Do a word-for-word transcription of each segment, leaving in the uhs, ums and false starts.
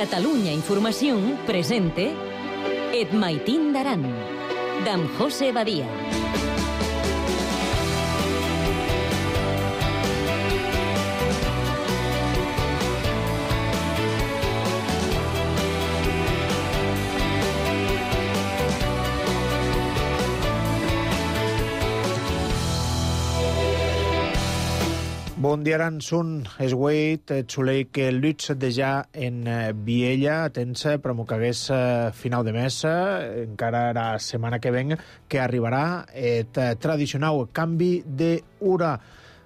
Catalunya Información presente Et Maitín d'Aran, d'en José Badia. Bon dia, Aran, sun esgueit, xulei que luts dejà en Viella, tensa, però m'ho cagués final de mes, encara la setmana que ven, que arribarà et tradicional canvi d'hora.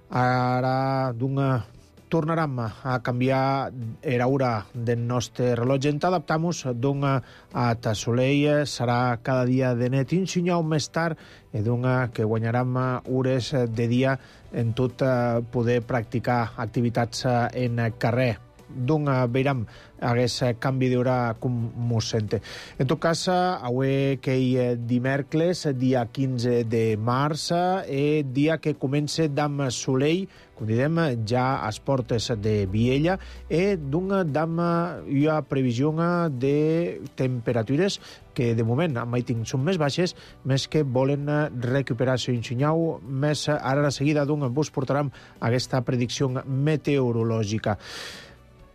Ara, d'una tornarem a canviar l'hora del nostre rellotge. Ens adaptamos d'una a Soleil, serà cada dia de net un senyal més tard i d'una que guanyarem hores de dia en tot poder practicar activitats en carrer. D'una veurem aquest canvi d'hora com mos sente. En tot cas, avui que hi dimecres, dia quinze de març, és dia que comença d'am Soleil, com direm, ja a les portes de Viella, i d'una d'ama hi ha previsió de temperatures que de moment a Maiting són més baixes, més que volen recuperar-se un senyal més. Ara a seguida d'una vos portarem aquesta predicció meteorològica.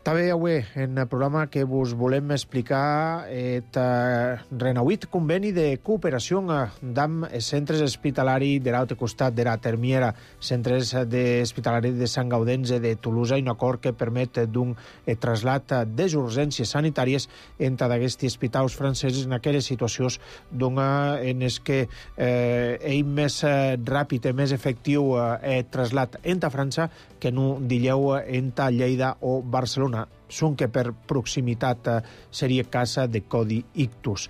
També avui en el programa que vos volem explicar el renauït conveni de cooperació amb els centres hospitalaris de l'altre costat de la Termiera, centres hospitalaris de Sant Gaudenç de Tolosa, i un acord que permet d'un trasllat de urgències sanitàries entre d'aquests hospitals francesos en aquelles situacions en les que eh, és més ràpid i més efectiu el trasllat entre França que no dilleu entre Lleida o Barcelona. Són que per proximitat seria casa de Codi Ictus.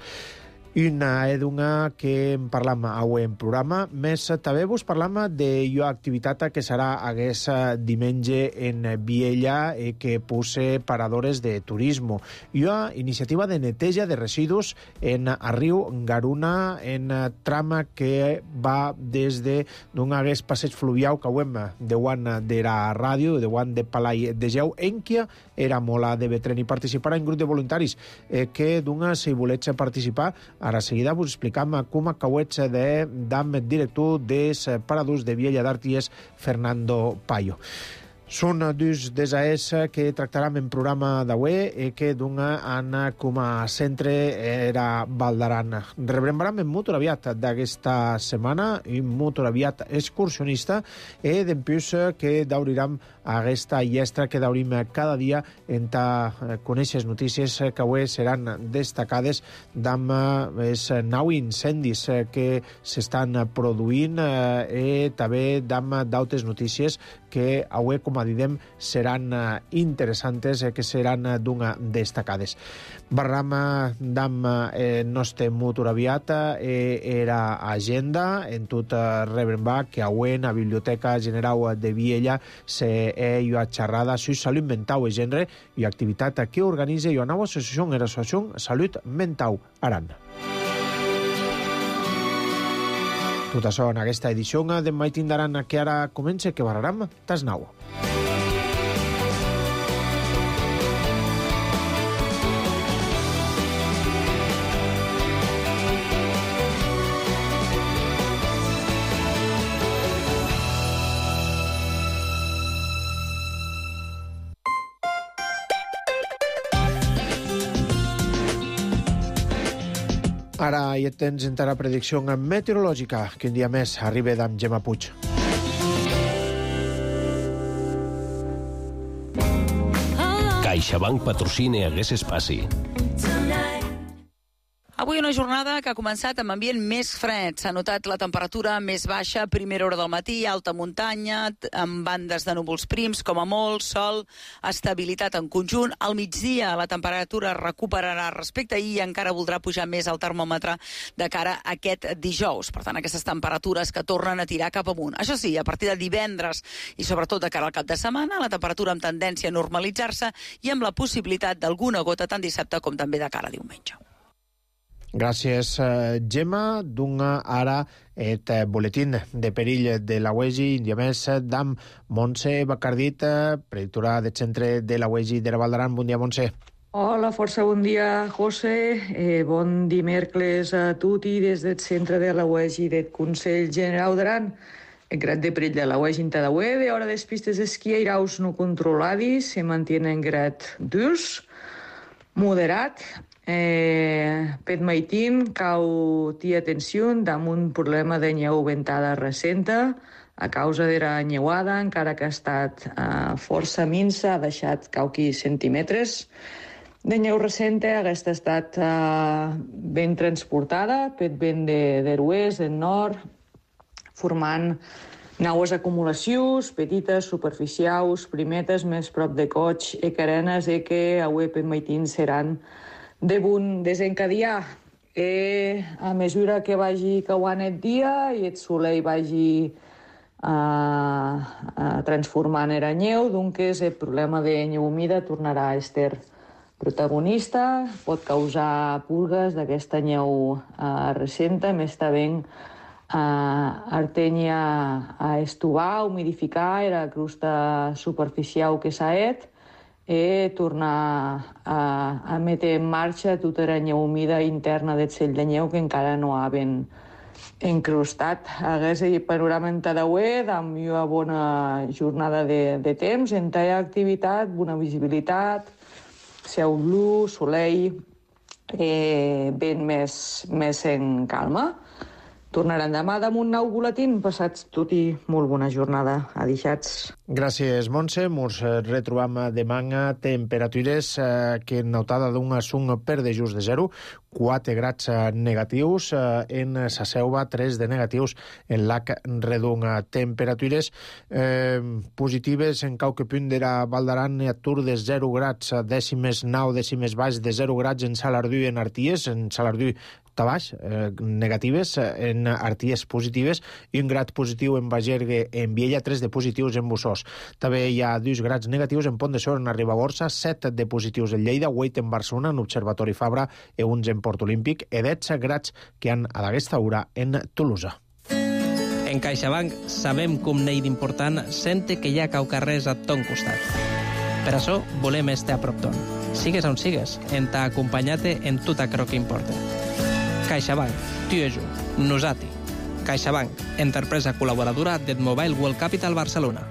Una edunga que en parlam avui en programa, més també vos parlam de la activitat que serà aquest diumenge en Viella i que pose paradores de turisme. Hi ha iniciativa de neteja de residus en a riu Garuna, en trama que va des de d'un hagués passeig fluvial que ho hem de guan de la ràdio, de guan de Palai de Geu, en qui era mola de Betren i participarà en grup de voluntaris eh, que d'una, si volets participar, ara seguida vos explicam com acauets de dam director des paradors de Viella d'Arties, Fernando Payo. Són dos des A S que tractarem en programa d'avui i que d'una han com a centre era Val d'Aran. Rebrembaram en molt aviat d'aquesta setmana, un molt aviat excursionista, i d'empús que daurirem aquesta llestra que daurim cada dia entre conèixer notícies que avui seran destacades d'amb els nou incendis que s'estan produint i també d'amb d'altres notícies que avui, com a didem, seran interessantes, que seran d'una destacades. Barram d'amb el nostre motor aviat era agenda en tot rebrembar que avui en la Biblioteca General de Viella se hi ha xerrada sobre salut mental i gènere i activitat que organitza la nova associació, l'associació Salut Mental Aran. Tot això en aquesta edició de Maitín d'Aran que ara comença, que barraram tas nou. Ara ja tens encara predicció meteorològica, que un dia més arriba d'en Gemma Puig. CaixaBank patrocina aquest espai. Avui una jornada que ha començat amb ambient més fred. S'ha notat la temperatura més baixa a primera hora del matí, alta muntanya, amb bandes de núvols prims, com a molt, sol, estabilitat en conjunt. Al migdia la temperatura recuperarà respecte a ahir i encara voldrà pujar més el termòmetre de cara a aquest dijous. Per tant, aquestes temperatures que tornen a tirar cap amunt. Això sí, a partir de divendres i sobretot de cara al cap de setmana, la temperatura amb tendència a normalitzar-se i amb la possibilitat d'alguna gota tant dissabte com també de cara a diumenge. Gràcies, Gemma. D'una ara et boletín de perill de la U E G I, i a més d'am Montse Bacardit, predictora del centre de la U E G I de la Val d'Aran. Bon dia, Montse. Hola, força bon dia, José. Eh, bon dimecres a tutti des del centre de la U E G i del Consell General d'Aran. El grad de perill de la U E G in cada U E de hora des pistes d'esquí airaus no controlades se mantienen grad dos, moderat. Eh, pet maitin cau tia atenció damunt problema de nyeu ventada recenta a causa de la nyeuada, encara que ha estat eh, força minsa, ha deixat cauqui centímetres de nyeu recente. Aquesta ha estat eh, ben transportada, pet vent de, de l'oest, del nord, formant naues acumulacions, petites, superficials, primetes, més prop de coig, e carenes, e que avui pet maitin seran de bon desencadiar. E a mesura que vagi cauant el dia i el soleil vagi uh, uh, transformant era nyeu, doncs el problema de nyeu humida tornarà a estar protagonista, pot causar pulgues d'aquesta nyeu uh, recenta, més també uh, artenya a estovar, humidificar era crosta superficial que s'ha et, i tornar a, a metre en marxa tota la nyeu humida interna del cell de nyeu que encara no ha ben encrustat. Hagués el panorama en Tadauet, amb una bona jornada de, de temps, en talla activitat, bona visibilitat, cel blu, soleil, eh, ben més, més en calma. Tornaran demà damunt nou boletín. Passats tot i molt bona jornada. Adixats. Gràcies, Montse. Mos retrobam demà temperatures eh, que notada d'un assunt per de just de zero, quatre grads negatius eh, en sa Selva, tres de negatius en Lac Redon. Temperatures eh, positives en qualque punt de la Val d'Aran a Tur de zero grads, dècimes nou, dècimes baix de zero grads en Salardú i en Arties, en Salardú Tabaix, eh, negatives, en Arties positives, i un grad positiu en Bagergue, en Viella, tres de positius en Bussós. També hi ha dos grads negatius en Pont de Sort, en Ribagorça, set de positius en Lleida, vuit en Barcelona, en Observatori Fabra, i uns en Port Olímpic, i dotze grads que han a d'aquesta hora en Tolosa. En CaixaBank sabem com n'hi d'important sente que hi ha caucarrers a ton costat. Per això volem estar a prop ton. Sigues on sigues, en t'ha acompanyat en tot aquello que importa. CaixaBank, tu i jo, nosati. CaixaBank, empresa col·laboradora del Mobile World Capital Barcelona.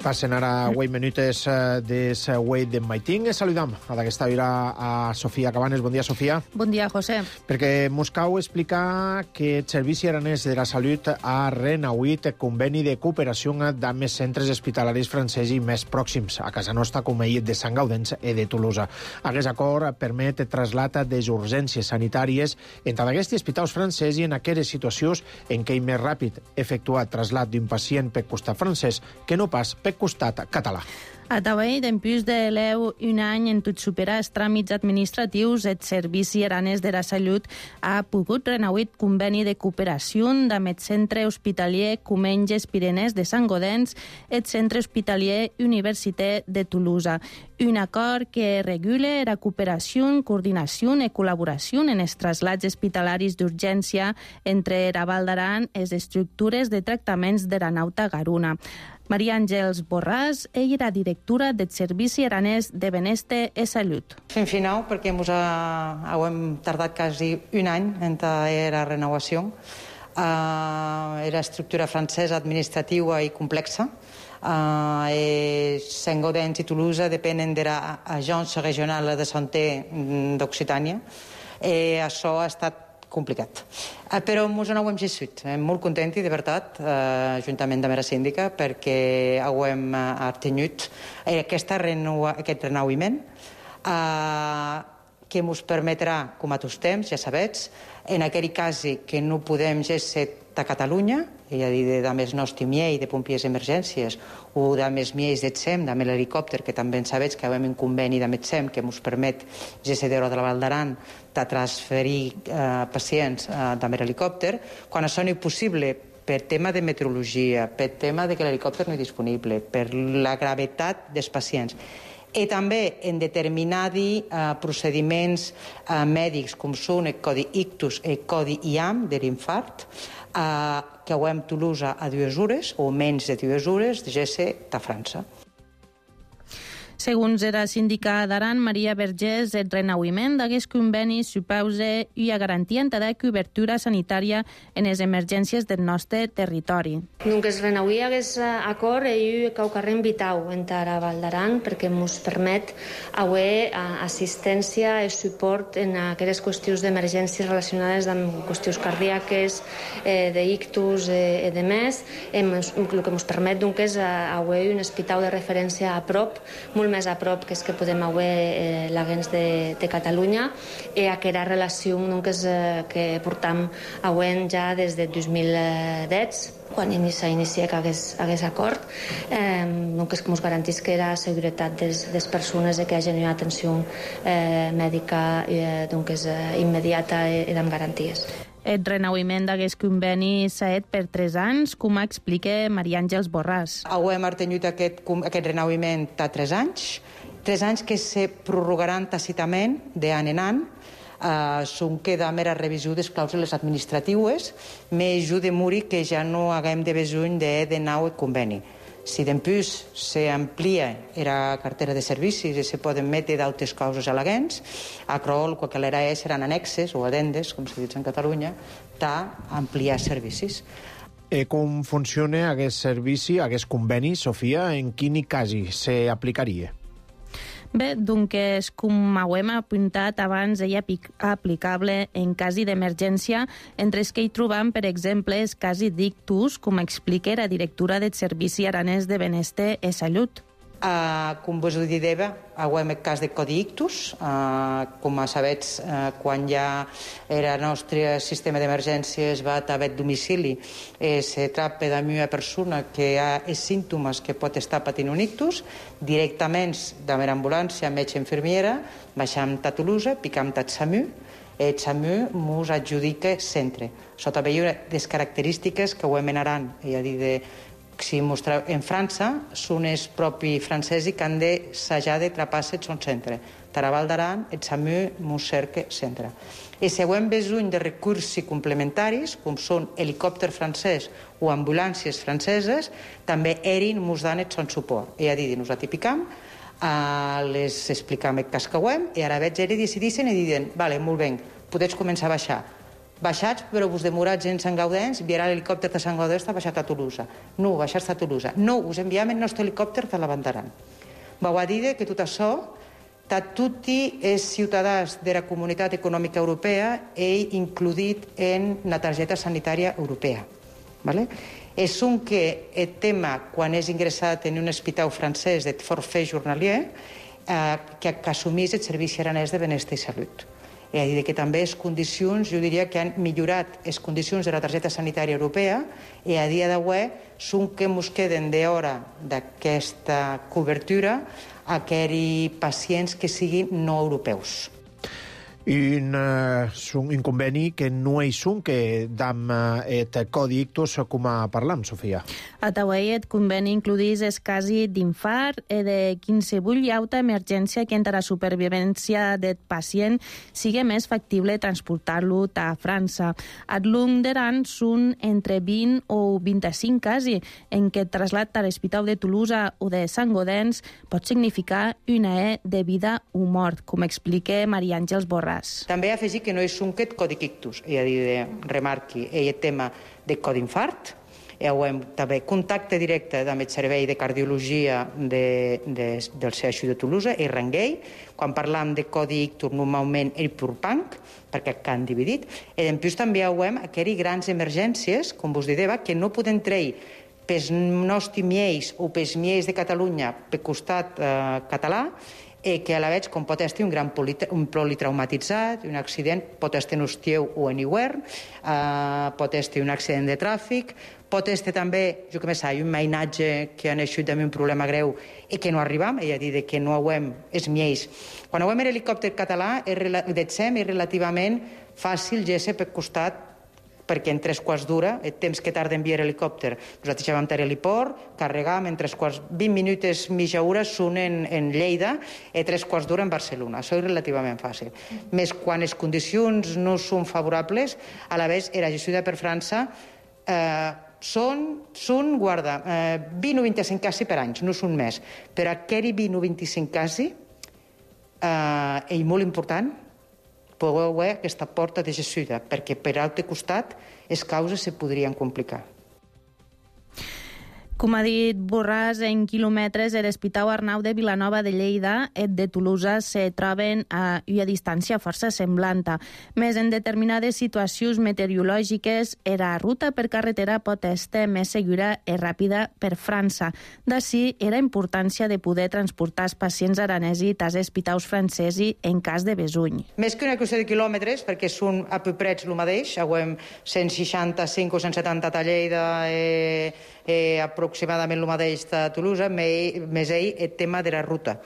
Passen ara vuit minutes de Wait de Maiting. Saludam a d'aquesta hora a Sofia Cabanes. Bon dia, Sofia. Bon dia, José. Perquè mos cal explicar que el Servici Aranès de la Salut ha renauït el conveni de cooperació amb els centres hospitalaris francesos més pròxims a casa nostra, com el de Sant Gaudens i de Tolosa. Aquest acord permet trasllat de les urgències sanitàries entre aquests hospitals francesos i en aquelles situacions en què és més ràpid efectuar trasllat d'un pacient per costat francès que no pas per costat català. A Tavall, d'empús de l'E U, un any en tot superar els tràmits administratius, el Servici Aranès de la Salut ha pogut renauir conveni de cooperació amb el Centre Hospitalier Comenges Pirenès de Sant Gaudens i el Centre Hospitalier Università de Tolosa. Un acord que regula la cooperació, coordinació i col·laboració en els traslats hospitalaris d'urgència entre la Val d'Aran i les estructures de tractaments de la Nauta Garuna. Maria Àngels Borràs, ella era directora del Servici Aranès de Benestar i Salut. Fem final perquè ens ha, hem tardat quasi un any en la renovació. Uh, era estructura francesa administrativa i complexa. Uh, e Sant Gaudens i Tolosa depenen de l'Agència Regional de Santé d'Occitània. E això ha estat complicat. Uh, però ens ho hem gestit. Estem molt contents, de veritat, uh, juntament amb la síndica, perquè hem uh, obtingut aquesta renova, aquest renauïment uh, que ens permetrà, com a tots temps, ja sabets, en aquell cas que no podem gestir a Catalunya, és a dir, de més nostre miei de pompiers d'emergències o de més miei de SEM, de l'helicòpter, que també sabets que hem un conveni de SEM que ens permet gestir de la Val d'Aran de transferir eh, pacients eh, de l'helicòpter, quan això no és possible per tema de meteorologia, per tema de que l'helicòpter no és disponible, per la gravetat dels pacients i també en determinats eh, procediments eh, mèdics com són el codi ictus i el codi I A M de l'infart, eh, que ho hem Tolosa a dues hores o menys de dues hores de G C de França. Segons era síndica d'Aran, Maria Vergés, el renauiment d'aquest conveni supausa una garantia de cobertura sanitària en les emergències del nostre territori. Donc es renauí aquest acord i caucarrem vitau entre la Val d'Aran perquè ens permet haver assistència i suport en aquelles qüestions d'emergències relacionades amb qüestions cardíaques, eh, d'ictus i de més. El que ens permet donc, és haver un hospital de referència a prop, molt més a prop que és que podem haver eh, l'Agens de, de Catalunya i aquella relació donc, és, eh, que portam havent ja des de dos mil deu, quan s'inicia aquest, aquest acord, eh, donc és que ens garantís que la seguretat de les persones i que hi hagi una atenció eh, mèdica eh, donc és, eh, immediata i, i amb garanties. El renauiment d'aquest conveni s'ha fet per tres anys, com explica Maria Àngels Borràs. Hem tingut aquest, aquest renauiment de tres anys, tres anys que se prorrogaran tàcitament d'any en any. Uh, són que de mera revisió de les clàusules administratives, més jo de muri que ja no haguem de besoin de, de nou el conveni. Si d'empús s'amplia la cartera de servicis i se poden metre d'altres causes al·leguents, a Crol, el que l'era és, seran annexes o adendes, com se diu en Catalunya, d'ampliar servicis. Eh, com funciona aquest servici, aquest conveni, Sofia? En quin cas s'aplicaria? Bé, doncs, com ho hem apuntat abans, ell és aplicable en cas d'emergència, entre els que hi trobam, per exemple, els casos d'ictus, com explica la directora del Servici Aranès de Benestar i Salut. Uh, com vos ho dideva, hem el cas de codi ictus. Uh, com sabets, uh, quan ja el nostre sistema d'emergències va a haver domicili, eh, se tracta d'una persona que ha els símptomes que pot estar patint un ictus, directament de la ambulància, metge infermiera, baixam a Tolosa, picam a SAMU, i el SAMU ens adjudica centre. Sota veure les característiques que ho hem en Aran, és a dir, de si mostreu, en França són els propis francesos que han de s'hajar de trapar-se el son centre. Taraval d'Aran, el SAMU, mos cerca centre. I si hem besoin de recursos complementaris, com són helicòpter francès o ambulàncies franceses, també erin mos dan el son suport. És a dir, nos atipicam, eh, les explicam el cas que hem, i ara veig eri decidissin i diuen, vale, molt bé, podeu començar a baixar. Baixats, però vos demorats en Sant Gaudens, enviarà l'helicòpter de Sant Gaudens, està baixat a Tolosa. No, baixats a Tolosa. No, us enviam el nostre helicòpter de la Bandaran. Vau a dir que tot això, tots els ciutadans de la Comunitat Econòmica Europea he includit en la targeta sanitària europea. Vale? És un que el tema, quan és ingressat en un hospital francès de forfait journalier, eh, que assumís el Servici Aranès de Benestar i Salut. És a dir, que també les condicions, jo diria que han millorat les condicions de la targeta sanitària europea i a dia d'avui són que ens queden d'hora d'aquesta cobertura a aquells pacients que siguin no europeus. Un, uh, un conveni que no és un que dam uh, et codi ictus com a parlam, Sofia. A Tauai et conveni includís els casos d'infart i de qualsevol altra emergència que entre la supervivència del pacient sigui més factible transportar-lo a França. A l'Ung d'Aran són entre vint o vint-i-cinc casos en què el trasllat a l'Hospital de Tolosa o de Sant Gaudens pot significar una E de vida o mort, com explica Maria Àngels Borràs. També afegir que no és un que codi ictus, és a dir, de remarqui el tema de codi infart, i hem també contacte directe amb el servei de cardiologia de, de, del C H U de Tolosa, el Ranguei, quan parlam de codi ictus normalment el Purpanc, perquè que han dividit, i en plus també hem aquelles grans emergències, com vos dideva, que no poden treure pels nostres miells o pels miells de Catalunya per costat eh, català, i que a la vegada, com pot estar un gran un politraumatitzat, un accident, pot estar en hostieu o en hivern, eh, pot estar un accident de tràfic, pot estar també, jo que me sé, un mainatge que ha naixut amb un problema greu i que no arribam, és a dir, que no hauem els miells. Quan hauem l'helicòpter català, de S E M, és relativament fàcil, ja per costat perquè en tres quarts d'hora, el temps que tarda enviar l'helicòpter, nosaltres ja vam tenir l'hiport, carregam en tres quarts, vint minuts, mitja hora, són en, en Lleida, i tres quarts d'hora en Barcelona. Això és relativament fàcil. Més quan les condicions no són favorables, a la vegada era gestió per França, eh, són, són, guarda, eh, vint o vint-i-cinc casos per anys, no són més. Però aquell vint o vint-i-cinc casos eh, és molt important, podeu veure aquesta porta de gestió, perquè per l'altre costat les causes se podrien complicar. Com ha dit Borràs, en quilòmetres l'Hospital Arnau de Vilanova de Lleida i de Tolosa se troben a una distància força semblant. Més en determinades situacions meteorològiques, la ruta per carretera pot estar més segura i ràpida per França. D'ací era importància de poder transportar els pacients aranesos als hospitals francesos en cas de besuny. Més que una qüestió de quilòmetres, perquè són a peu près el mateix, avui cent seixanta-cinc o cent setanta a Lleida, eh, eh, aproximadament el mateix de Tolosa, més ell el tema de la ruta.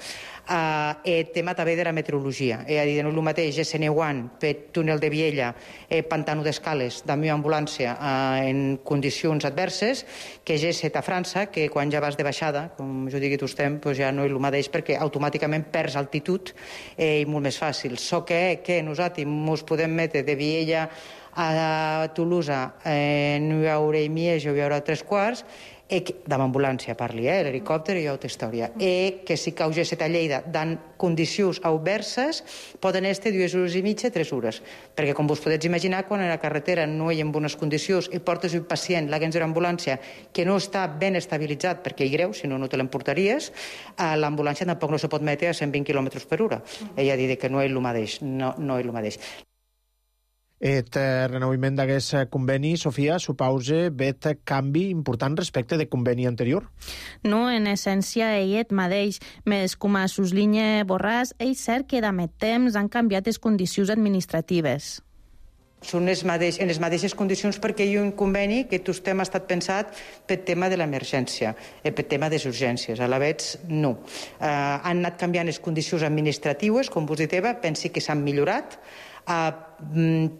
Uh, el tema també de la meteorologia. És a dir, no és el mateix S N un per túnel de Viella, eh, Pantano d'Escales, de meva ambulància uh, en condicions adverses, que G set a França, que quan ja vas de baixada, com jo digui tu estem, doncs ja no és el mateix perquè automàticament perds altitud eh, i molt més fàcil. So que, que nosaltres ens podem metre de Viella a Tolosa en una hora i mitja o una hora tres quarts, e que, de l'ambulància parli, eh, l'helicòpter i altra història, e que si cau G set a Lleida dan condicions adverses poden estar dues hores i mitja, tres hores, perquè com vos podeu imaginar, quan a la carretera no hi ha en bones condicions i portes un pacient, l'agent de l'ambulància, que no està ben estabilitzat perquè hi greu, si no, no te l'emportaries, l'ambulància tampoc no se pot metre a cent vint quilòmetres per hora. Ella ha dit que no és el mateix, no, no és el mateix. Et renovament d'aquest conveni, Sofia, supausa vet canvi important respecte de conveni anterior? No, en essència, ell et mateix. Més com a suslinya Borràs, és cert que d'amet temps han canviat les condicions administratives. Són les mateix, en les mateixes condicions perquè hi ha un conveni que tot tema ha estat pensat pel tema de l'emergència, pel tema de les urgències. A la vegada, no. Uh, han anat canviant les condicions administratives, com vos dit Eva, pensi que s'han millorat. Uh,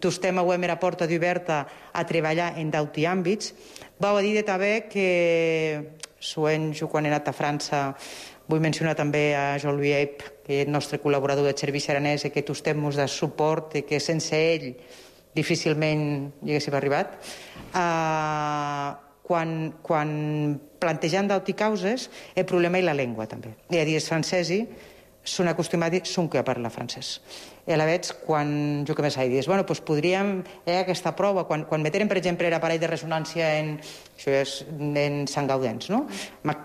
tot tema ho hem a porta d'oberta a treballar en d'altres àmbits. Vau a dir també que, soent, jo quan he anat a França, vull mencionar també a Jean-Louis Eip, que és el nostre col·laborador de Servici Aranès, i que tots temes de suport i que sense ell difícilment hi haguéssim arribat. Uh, quan, quan plantejant d'altres causes, el problema és la llengua també. I a dir, els francesos són acostumats, són que parlar francès. I a la vegada, quan jo que més he dit, bueno, doncs podríem, eh, aquesta prova, quan, quan meteren, per exemple, l'aparell de ressonància en, això és, en Sant Gaudens, no?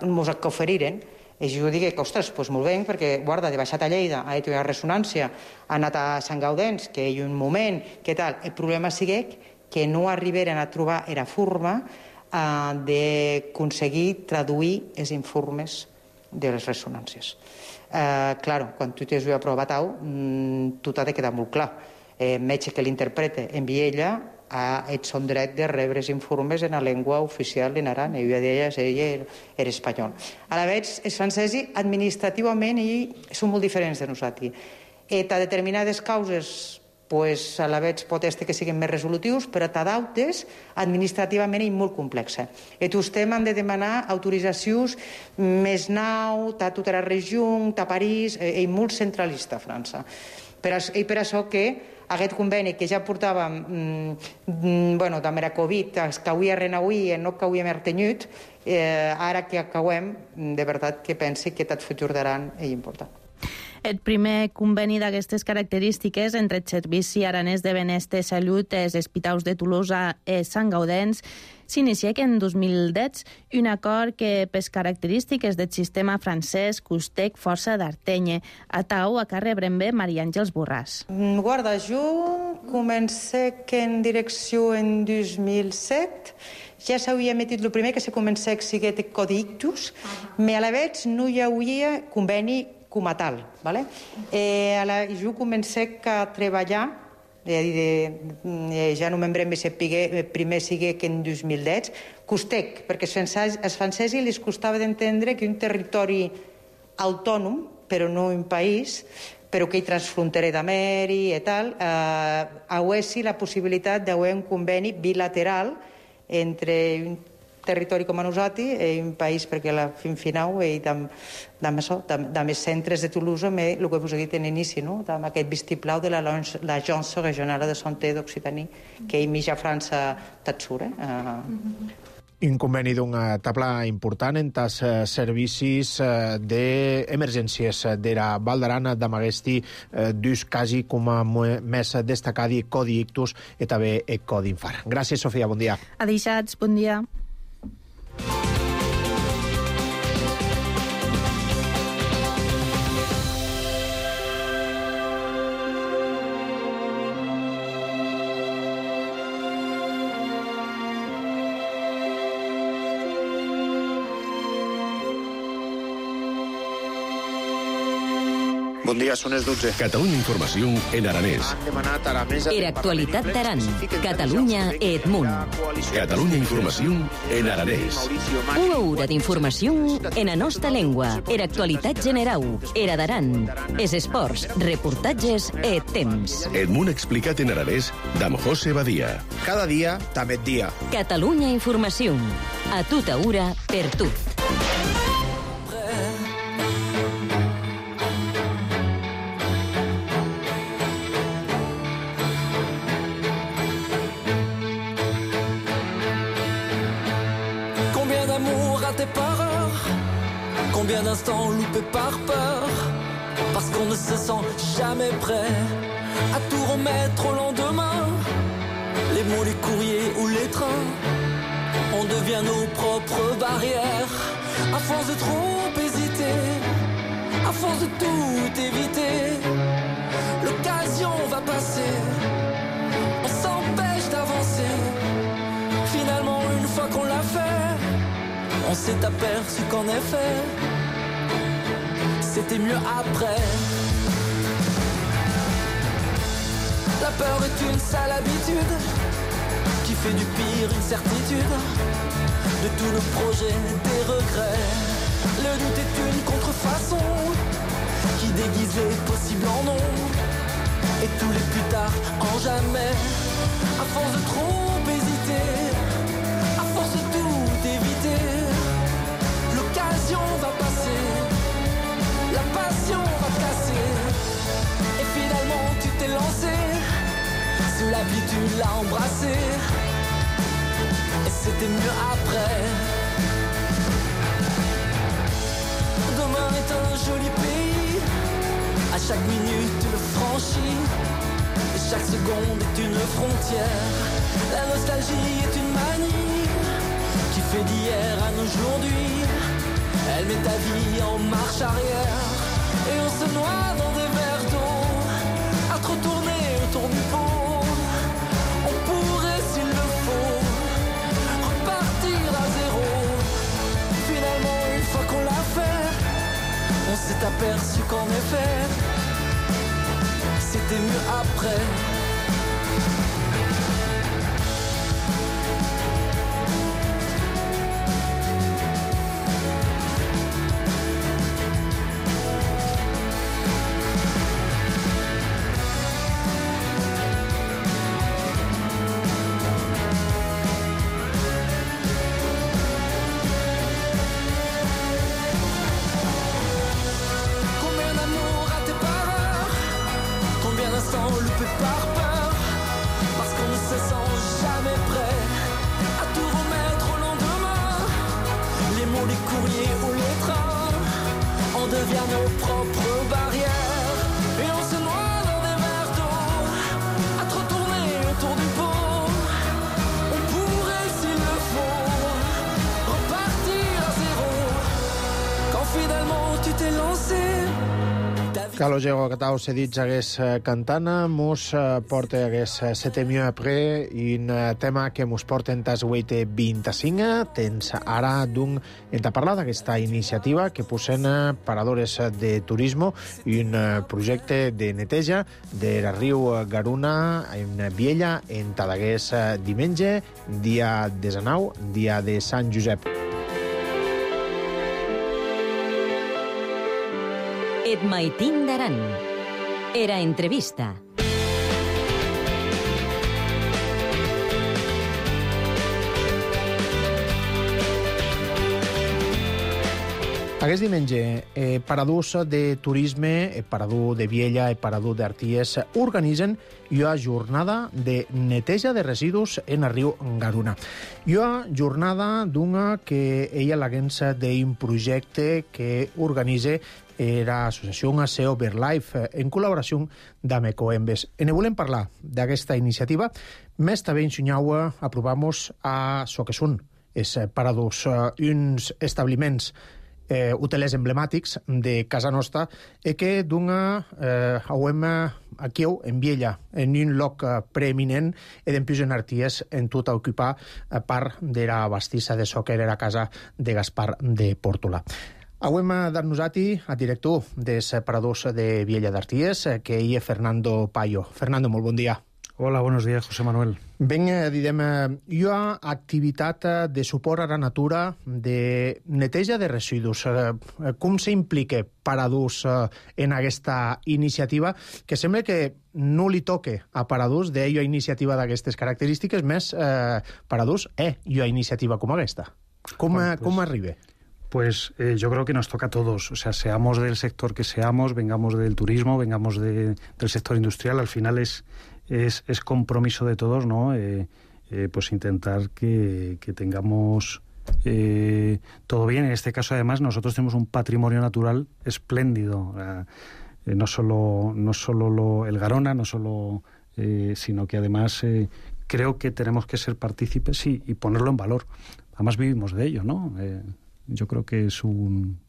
Mos que oferiren, i jo dic que, ostres, doncs molt bé, perquè, guarda, de baixat a Lleida, ha dit una ressonància, ha anat a Sant Gaudens, que hi ha un moment, què tal? El problema sigui que no arribaren a trobar la forma eh, d'aconseguir traduir els informes de les ressonàncies. Eh, claro, quan tu tens una prova tau, tot ha de quedar molt clar. El metge que l'interpreta en Viella ha et son dret de rebre els informes en la llengua oficial en aran, i una d'elles ella era espanyol. A la vegada, els francesos administrativament són molt diferents de nosaltres. I a determinades causes, pues, a la vegada pot ser que siguin més resolutius, però a d'altres administrativament és molt complexa. I tots han de demanar autoritzacions més nou, a tota la regió, a París, és molt centralista a França. I per això que aquest conveni que ja portàvem mm, bueno, de la Covid, es cauia renauir i no cauia més tenyut, eh, ara que acabem, de veritat que pensi que tot futur d'Aran és important. El primer conveni d'aquestes característiques entre el Servici Aranès de Benestar i Salut i els hospitals de Tolosa i Sant Gaudens s'inicia en dos mil deu, un acord que, per característiques del sistema francès, costec força d'artenye. A tau, a que rebrem bé Maria Àngels Borràs. Guarda, jo comencé en direcció en dos mil set, ja s'havia emetit el primer que se comença a seguir el codi ictus, però a la vegada no hi havia conveni com a tal. Vale? Eh, a la, jo comencé a treballar, eh, de, ja no membrem si el primer sigui que en dos mil deu, costec, perquè als francesos els costava d'entendre que un territori autònom, però no un país, però que hi transfronterer d'Ameri i tal, eh, auessi la possibilitat d'haver un conveni bilateral entre un territori com a nosaltres i un país, perquè la fin final i amb, amb això, amb els centres de Toulouse, el que vos he dit en inici, no? Amb aquest vistiplau de l'Agència Regional de Santé d'Occitanie, que hi mitja França t'atsura. Eh? Un conveni d'una tabla important en els eh, servicis eh, d'emergències de la Val d'Aran d'amaguesti eh, dus quasi com a més destacadi Codi Ictus i també Codi Infart. Gràcies, Sofia, bon dia. Adeixats, bon dia. Bon dia, són les dotze. Catalunya Informació en aranès. Han demanat a la mesa... Era actualitat d'Aran. Catalunya Edmunt. Catalunya Informació en aranès. Una hora d'informació en la nostra llengua. Era actualitat general. Era d'Aran. Es esports, reportatges e temps. Edmunt explicat en aranès d'amb José Badia. Cada dia, també dia. Catalunya Informació. A tota hora, per tot. Combien d'instants loupés par peur, parce qu'on ne se sent jamais prêt à tout remettre au lendemain. Les mots, les courriers ou les trains, on devient nos propres barrières. À force de trop hésiter, à force de tout éviter, l'occasion va passer, on s'empêche d'avancer. Finalement, une fois qu'on l'a fait, on s'est aperçu qu'en effet, c'était mieux après. La peur est une sale habitude qui fait du pire une certitude. De tous nos projets, des regrets. Le doute est une contrefaçon qui déguise les possibles en non. Et tous les plus tard en jamais. À force de trop hésiter, à force de tout éviter, l'occasion va passer, la passion va casser. Et finalement tu t'es lancé, sous la pluie tu l'as embrassé. Et c'était mieux après. Demain est un joli pays, à chaque minute tu le franchis, et chaque seconde est une frontière. La nostalgie est une manie qui fait d'hier à aujourd'hui. Elle met ta vie en marche arrière, et on se noie dans des verres d'eau, à trop tourner autour du pot. On pourrait, s'il le faut, repartir à zéro. Finalement, une fois qu'on l'a fait, on s'est aperçu qu'en effet, c'était mieux après. Loupé par peur, parce qu'on ne se sent jamais prêt à tout remettre au lendemain. Les mots, les courriers ou les trains, on devient nos propres barrières, et on se noie dans des verres d'eau, à trop tourner autour du pot. On pourrait, s'il le faut, repartir à zéro, quand finalement tu t'es lancé. Carlos Diego Catau s'ha dit hagués cantana, mos porta hagués sete mieux après, un tema que mos porta en tas huit vint-i-cinc. Tens ara d'un en parlar d'aquesta iniciativa que posen paradores de turisme i un projecte de neteja de la riu Garuna en Viella en Tadagués diumenge, dia desenau, dia de Sant Josep. Et Maitín d'Aran. Era entrevista. Aquest diumenge, eh, Paradús de Turisme, eh, Paradú de Viella i Paradú d'Arties organitzen una jornada de neteja de residus en el riu Garuna. Una jornada d'una que ella l'agència d'un projecte que organitza l'associació A C O BirdLife en col·laboració amb Ecoembes. En volem parlar d'aquesta iniciativa. Més també ensenyau aprovamos a so que són és Paradús, uns establiments Eh, hotelers emblemàtics de casa nostra e que d'una eh, hauem aquí en Viella, en un lloc eh, preeminent e d'empius en Arties en tot a ocupar eh, part de la bastissa de so que era la casa de Gaspar de Pórtola. Hauem dat nosati a director des Paradús de Viella d'Arties, eh, que hi és Fernando Payo. Fernando, molt bon dia. Hola, buenos días, José Manuel. Ben, eh, direm, eh, hi ha activitat de suport a la natura, de neteja de residus. Eh, com s'implica Paradús eh, en aquesta iniciativa, que sembla que no li toque a Paradús d'ella iniciativa d'aquestes característiques, més eh, Paradús és una iniciativa com aquesta. Com, bueno, pues, com arriba? Pues eh, yo creo que nos toca a todos, o sea, seamos del sector que seamos, vengamos del turismo, vengamos de, del sector industrial, al final es... Es, es compromiso de todos, ¿no? Eh, eh, pues intentar que, que tengamos eh, todo bien. En este caso, además, nosotros tenemos un patrimonio natural espléndido. Eh, no solo, no solo lo, el Garona, no solo, eh, sino que además eh, creo que tenemos que ser partícipes sí, y ponerlo en valor. Además vivimos de ello, ¿no? Eh, yo creo que es un...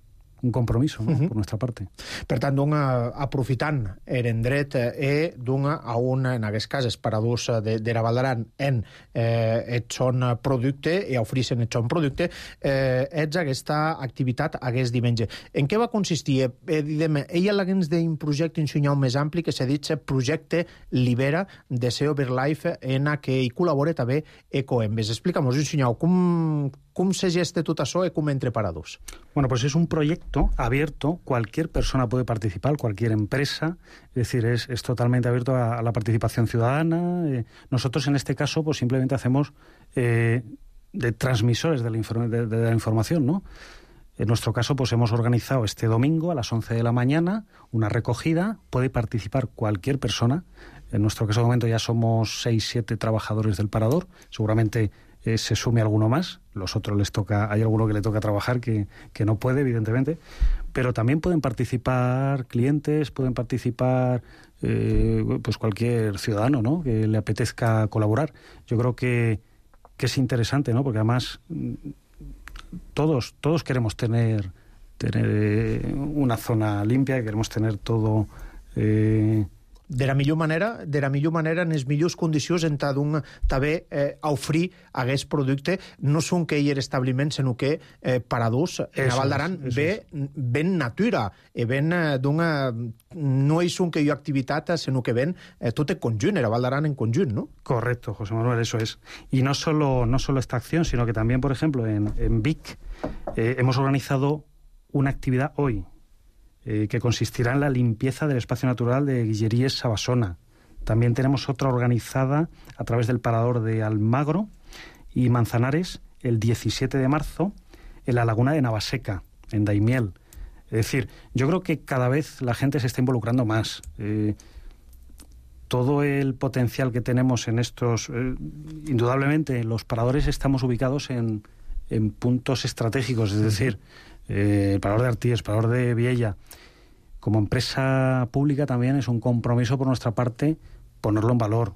un compromiso, no? Uh-huh. Por nuestra parte. Per tant, d'una, aprofitant el dret eh, d'una a una, en aquest cas, els Paradús de, de la Val d'Aran en eh, el son producte i ofreixen el son producte, eh, ets aquesta activitat aquest diumenge. En què va consistir? Eh, diguem, ella l'haguens d'un projecte ensenyat més ampli que s'ha dit projecte Libera de A C O BirdLife en què hi col·labora també Ecoembes. Explica'm-nos, ensenyau, com, com se gesta tot això i com entre Paradús? Bueno, pues es un proyecto abierto, cualquier persona puede participar, cualquier empresa, es decir, es, es totalmente abierto a, a la participación ciudadana. Eh, nosotros en este caso pues simplemente hacemos eh, de transmisores de la, inform- de, de la información, ¿no? En nuestro caso pues hemos organizado este domingo a las once de la mañana una recogida, puede participar cualquier persona. En nuestro caso de momento ya somos seis, siete trabajadores del Parador, seguramente Eh, se sume alguno más, los otros les toca, hay alguno que le toca trabajar que, que no puede, evidentemente, pero también pueden participar clientes, pueden participar eh, pues cualquier ciudadano, ¿no? Que le apetezca colaborar. Yo creo que, que es interesante, ¿no? Porque además todos, todos queremos tener, tener una zona limpia, queremos tener todo... Eh, de la millor manera, de la millor manera en les millors condicions en tant també eh, ofrir aquest producte no són que hi ha establiments, sinó que eh, Paradús en la Val d'Aran ve ben natura e ben eh, d'una... no és un que hi ha activitat, sinó que ven eh, tot en conjunt, la Val d'Aran en conjunt, ¿no? Correcto, José Manuel, eso es. Y no solo, no solo esta acción, sino que también, por ejemplo, en, en Vic eh, hemos organizado una actividad hoy, Eh, que consistirá en la limpieza del espacio natural de Guilleríes Sabasona. También tenemos otra organizada a través del Parador de Almagro y Manzanares el diecisiete de marzo en la laguna de Navaseca, en Daimiel. Es decir, yo creo que cada vez la gente se está involucrando más. Eh, todo el potencial que tenemos en estos... Eh, indudablemente, los paradores estamos ubicados en, en puntos estratégicos, es decir... Eh, el Parador de Arties, el Parador de Viella, como empresa pública también es un compromiso por nuestra parte ponerlo en valor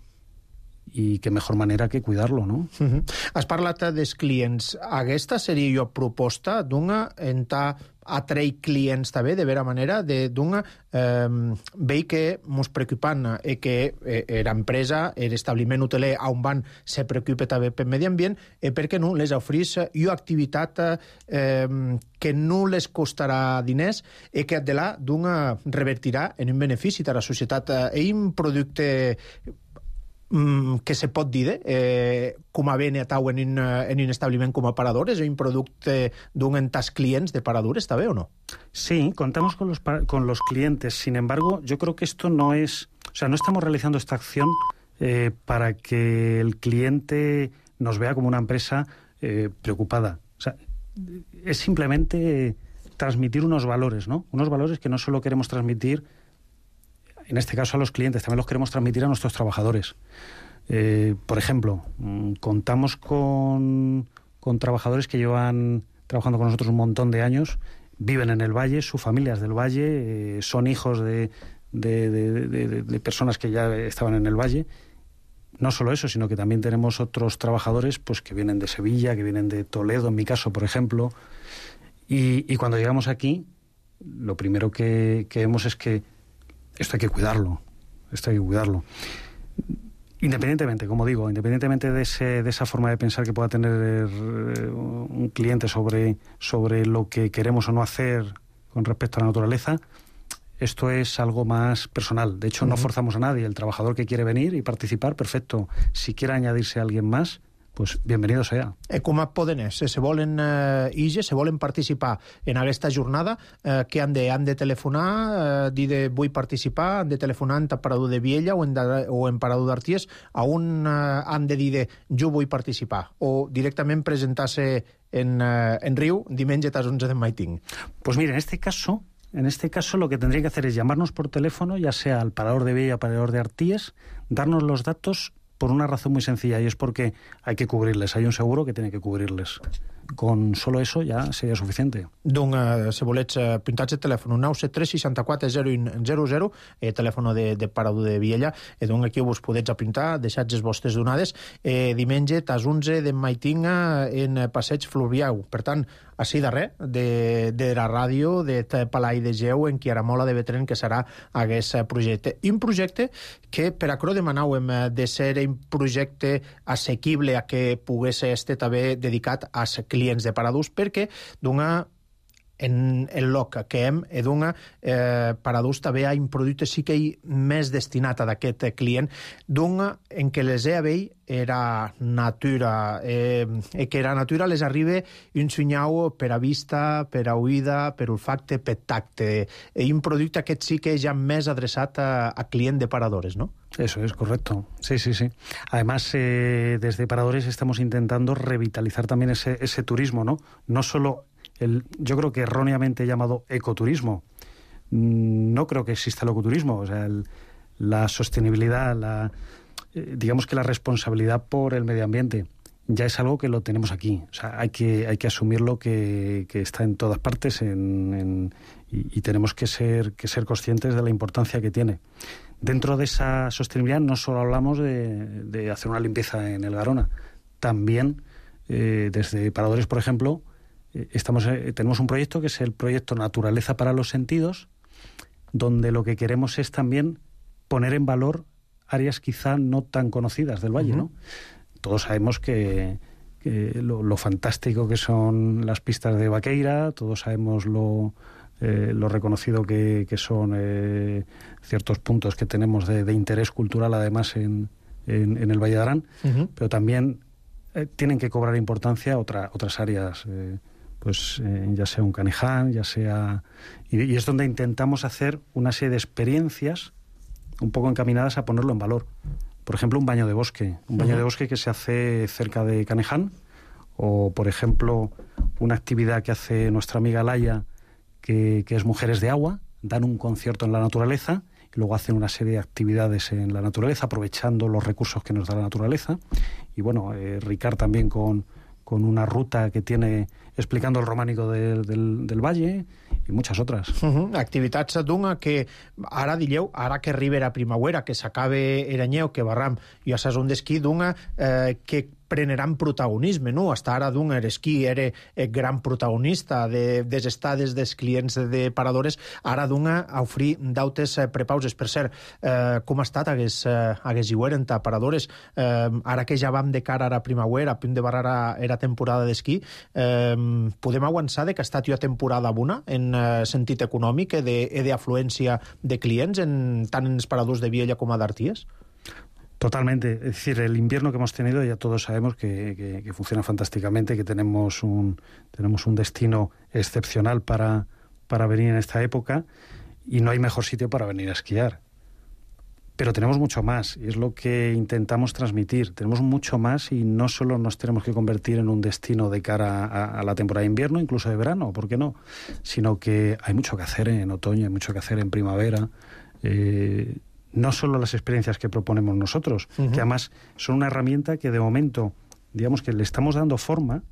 i que mejor manera que cuidar-lo, no? Uh-huh. Has parlat dels clients. Aquesta seria jo proposta d'una entà atrair clients també, de vera manera, d'una eh, veig que mos preocupant eh, que eh, l'empresa, l'establiment hoteler on van se preocupa també pel medi ambient i per què no les ofrís una activitat eh, que no les costarà diners i que de là d'una revertirà en un benefici de la societat. És un producte mm, que se pot dir eh, com a ben atau en un, en un establiment com a parador? És un producte d'un entas clients de parador, ¿está bien o no? Sí, contamos con los, con los clientes. Sin embargo, yo creo que esto no es... O sea, no estamos realizando esta acción eh, para que el cliente nos vea como una empresa eh, preocupada. O sea, es simplemente transmitir unos valores, ¿no? Unos valores que no solo queremos transmitir, en este caso a los clientes, también los queremos transmitir a nuestros trabajadores. Eh, por ejemplo, contamos con, con trabajadores que llevan trabajando con nosotros un montón de años, viven en el Valle, su familia es del Valle, eh, son hijos de... De, de, de, de personas que ya estaban en el Valle. No solo eso, sino que también tenemos otros trabajadores pues que vienen de Sevilla, que vienen de Toledo, en mi caso, por ejemplo. Y, y cuando llegamos aquí, lo primero que, que vemos es que esto hay que cuidarlo. Esto hay que cuidarlo. Independientemente, como digo, independientemente de, ese, de esa forma de pensar que pueda tener un cliente sobre, sobre lo que queremos o no hacer con respecto a la naturaleza, esto es algo más personal. De hecho, no forzamos a nadie. El trabajador que quiere venir y participar, perfecto. Si quiere añadirse a alguien más, pues bienvenido sea. Eh, com a poden ser? Se volen eh, ige, se volen participar en aquesta jornada, eh, què han de, han de telefonar, eh, dir de vull participar, han de telefonar en Parador de Viella o en, de, o en Parador d'Arties, a on eh, han de dir de jo vull participar, o directament presentar-se en, eh, en Riu diumenge a les onze de Maiting? Pues mira, en este caso... En este caso lo que tendría que hacer es llamarnos por teléfono, ya sea al Parador de Viella o al Parador de Arties, darnos los datos por una razón muy sencilla, y es porque hay que cubrirles. Hay un seguro que tiene que cubrirles. Con solo eso ja seria suficiente. Doncs, eh, si volets, eh, pintats de telèfon nou set tres sis quatre zero un zero zero, eh, telèfon de, de Parador de Viella, eh, doncs aquí vos podets apintar, deixats les vostres donades, eh, diumenge, tas onze de Maitinga, en Passeig Fluviau. Per tant, així darrer, de, de la ràdio, de Palai de Geu, en Quiaramola de Betren, que serà aquest projecte. Un projecte que, per a Cro demanàvem de ser un projecte assequible a que pogués estar també dedicat als clients de paradors, perquè d'una en el loc que hem, e d'una eh, paradors també hi ha un producte sí que hi més destinat a d'aquest client, d'una en què les E A B era natura, eh, e que la natura les arriba un sunyau per a vista, per a oïda, per olfacte, per tacte. E un producte aquest sí que és ja més adreçat a, a client de paradores, ¿no? Eso es correcto. Sí, sí, sí. Además, eh, desde Paradores estamos intentando revitalizar también ese, ese turismo, ¿no? No solo el, yo creo que erróneamente llamado ecoturismo. No creo que exista el ecoturismo. O sea, el, la sostenibilidad, la, eh, digamos que la responsabilidad por el medio ambiente ya es algo que lo tenemos aquí. O sea, hay que, hay que asumirlo, que, que está en todas partes en, en, y, y tenemos que ser, que ser conscientes de la importancia que tiene. Dentro de esa sostenibilidad no solo hablamos de, de hacer una limpieza en el Garona, también eh, desde Paradores, por ejemplo, eh, estamos, eh, tenemos un proyecto que es el proyecto Naturaleza para los Sentidos, donde lo que queremos es también poner en valor áreas quizá no tan conocidas del Valle, uh-huh. ¿no? Todos sabemos que, que lo, lo fantástico que son las pistas de Vaqueira, todos sabemos lo... Eh, lo reconocido que, que son eh, ciertos puntos que tenemos de, de interés cultural, además, en, en, en el Valle de Arán, uh-huh. pero también eh, tienen que cobrar importancia otra, otras áreas, eh, pues eh, ya sea un Caniján, ya sea... Y, y es donde intentamos hacer una serie de experiencias un poco encaminadas a ponerlo en valor. Por ejemplo, un baño de bosque, un baño uh-huh. de bosque que se hace cerca de Caniján, o, por ejemplo, una actividad que hace nuestra amiga Laia, Que, que es Mujeres de Agua, dan un concierto en la naturaleza y luego hacen una serie de actividades en la naturaleza, aprovechando los recursos que nos da la naturaleza. Y bueno, eh, Ricard también con, con una ruta que tiene explicando el románico de, del, del Valle i muchas otras. Uh-huh. Activitats d'una que ara dieu, ara que arriba la primavera, que s'acabe Eranyeu, que barram i a sazón d'esquí, d'una eh, que preneran protagonisme, no? Hasta ara d'un esquí era el gran protagonista de, des estades dels clients de paradores, ara d'una a oferir dautes eh, prepauses. Per cert, eh, com ha estat hagués, eh, hagués hivern a paradores? Eh, ara que ja vam de cara a la primavera, a punt de barrar era temporada d'esquí, eh, podem avançar de que ha estat jo temporada bona en eh, sentit econòmic i d'afluència de clients, en, tant en els paradors de Viella com a d'Arties? Totalmente. Es decir, el invierno que hemos tenido ya todos sabemos que, que, que funciona fantásticamente, que tenemos un, tenemos un destino excepcional para, para venir en esta época y no hay mejor sitio para venir a esquiar. Pero tenemos mucho más y es lo que intentamos transmitir. Tenemos mucho más y no solo nos tenemos que convertir en un destino de cara a, a la temporada de invierno, incluso de verano, ¿por qué no? Sino que hay mucho que hacer en otoño, hay mucho que hacer en primavera. Eh, no solo las experiencias que proponemos nosotros, uh-huh. que además son una herramienta que de momento, digamos que le estamos dando forma,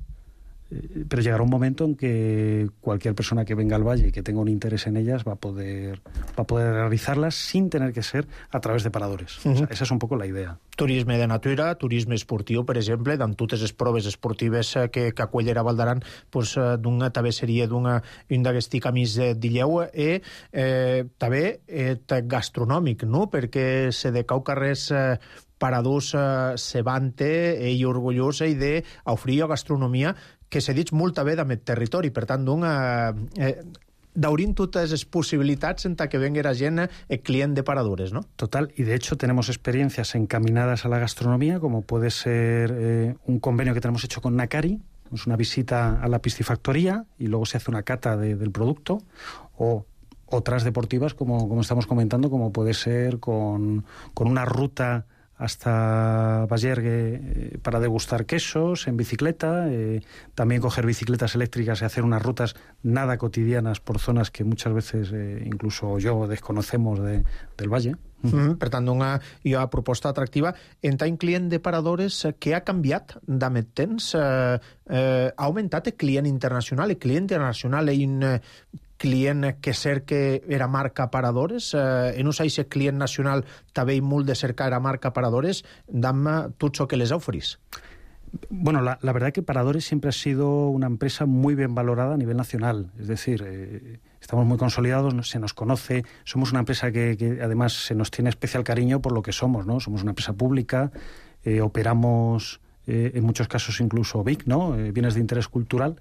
eh, pero llegará un momento en que cualquier persona que venga al valle y que tenga un interés en ellas va a poder, va a poder realizarlas sin tener que ser a través de paradores. Uh-huh. O sea, esa és un poco la idea. Turisme de natura, turisme esportiu, per exemple, amb totes les proves esportives que, que acullera Val d'Aran, pues, d'una també seria d'una un d'aquesti camins d'Illeu, i eh, també eh, gastronòmic, no? Perquè se de cau carrers eh, paradors eh, se vante i orgullosa i d'oferir gastronomia que se dit molt bé d'aquest territori, per tant, d'una... Eh, d'obrir totes les posibilitats en que venga la gent el client de paradores, ¿no? Total, y de hecho tenemos experiencias encaminadas a la gastronomía, como puede ser eh, un convenio que tenemos hecho con Nakari, es una visita a la piscifactoría y luego se hace una cata de, del producto, o otras deportivas, como, como estamos comentando, como puede ser con, con una ruta hasta Vallergue eh, para degustar quesos en bicicleta, eh, también coger bicicletas eléctricas y hacer unas rutas nada cotidianas por zonas que muchas veces eh, incluso yo desconocemos de, del valle. Mm-hmm. Per tant, una, una proposta atractiva. En tant client de paradores, què ha canviat d'aquest temps? Eh, eh, ha augmentat el client internacional? El client internacional és un eh, client que cerca era marca paradores? Eh, en un si el client nacional també hi molt de cercar era marca paradores, dame tot això que les oferís. Bueno, la, la verdad que Paradores siempre ha sido una empresa muy bien valorada a nivel nacional. Es decir, eh, estamos muy consolidados, se nos conoce, somos una empresa que, que además se nos tiene especial cariño por lo que somos, ¿no? Somos una empresa pública, eh, operamos eh, en muchos casos incluso B I C, ¿no? Eh, bienes de interés cultural,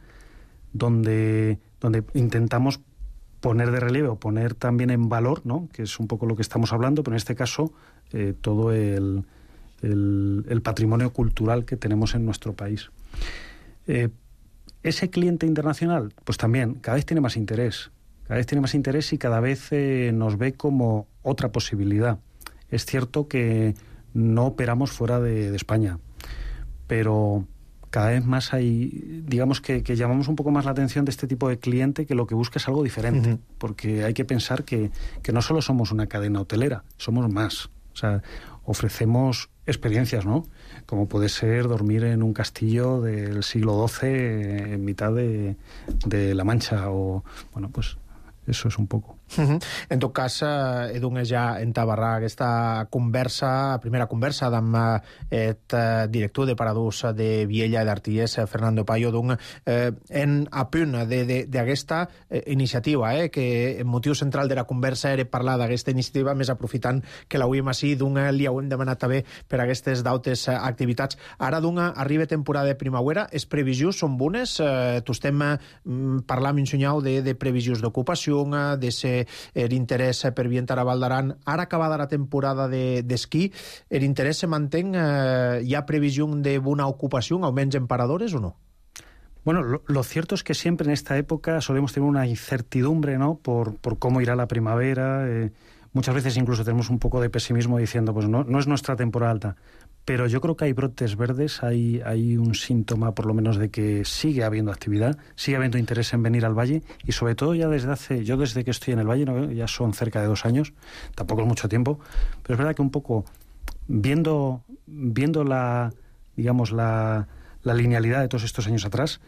donde, donde intentamos poner de relieve o poner también en valor, ¿no? Que es un poco lo que estamos hablando, pero en este caso eh, todo el... El, el patrimonio cultural que tenemos en nuestro país. Eh, ese cliente internacional, pues también cada vez tiene más interés, cada vez tiene más interés y cada vez eh, nos ve como otra posibilidad. Es cierto que no operamos fuera de, de España, pero cada vez más hay, digamos que, que llamamos un poco más la atención de este tipo de cliente que lo que busca es algo diferente, uh-huh. porque hay que pensar que, que no solo somos una cadena hotelera, somos más. O sea, ofrecemos experiencias, ¿no? Como puede ser dormir en un castillo del siglo doce en mitad de, de La Mancha o, bueno, pues eso es un poco. Uh-huh. En tot cas, eh, he donat ja entabarrar aquesta conversa, primera conversa amb el eh, director de Paradors de Viella i d'Arties, Fernando Payo, d'un, eh, en a punt d'aquesta eh, iniciativa, eh, que el motiu central de la conversa era parlar d'aquesta iniciativa, més aprofitant que l'avui així, d'un li heu demanat també per aquestes d'altres activitats. Ara, d'una arriba temporada de primavera, les previsions són bones? Eh, tu estem eh, parlant, mencioneu, de, de previsions d'ocupació, de ser l'interès per viatjar a Val d'Aran. Ara acabada la temporada d'esquí, de, l'interès se manté? Eh, ¿Hi ha previsió de bona ocupació, almenys en paradores o no? Bueno, lo, lo cierto es que siempre en esta época solemos tener una incertidumbre, ¿no? Por, por cómo irá la primavera. Eh, muchas veces incluso tenemos un poco de pesimismo diciendo, pues no, no es nuestra temporada alta. Pero yo creo que hay brotes verdes, hay, hay un síntoma por lo menos de que sigue habiendo actividad, sigue habiendo interés en venir al Valle y sobre todo ya desde hace, yo desde que estoy en el Valle, ¿no? Ya son cerca de dos años, tampoco es mucho tiempo, pero es verdad que un poco viendo, viendo la, digamos, la, la linealidad de todos estos años atrás,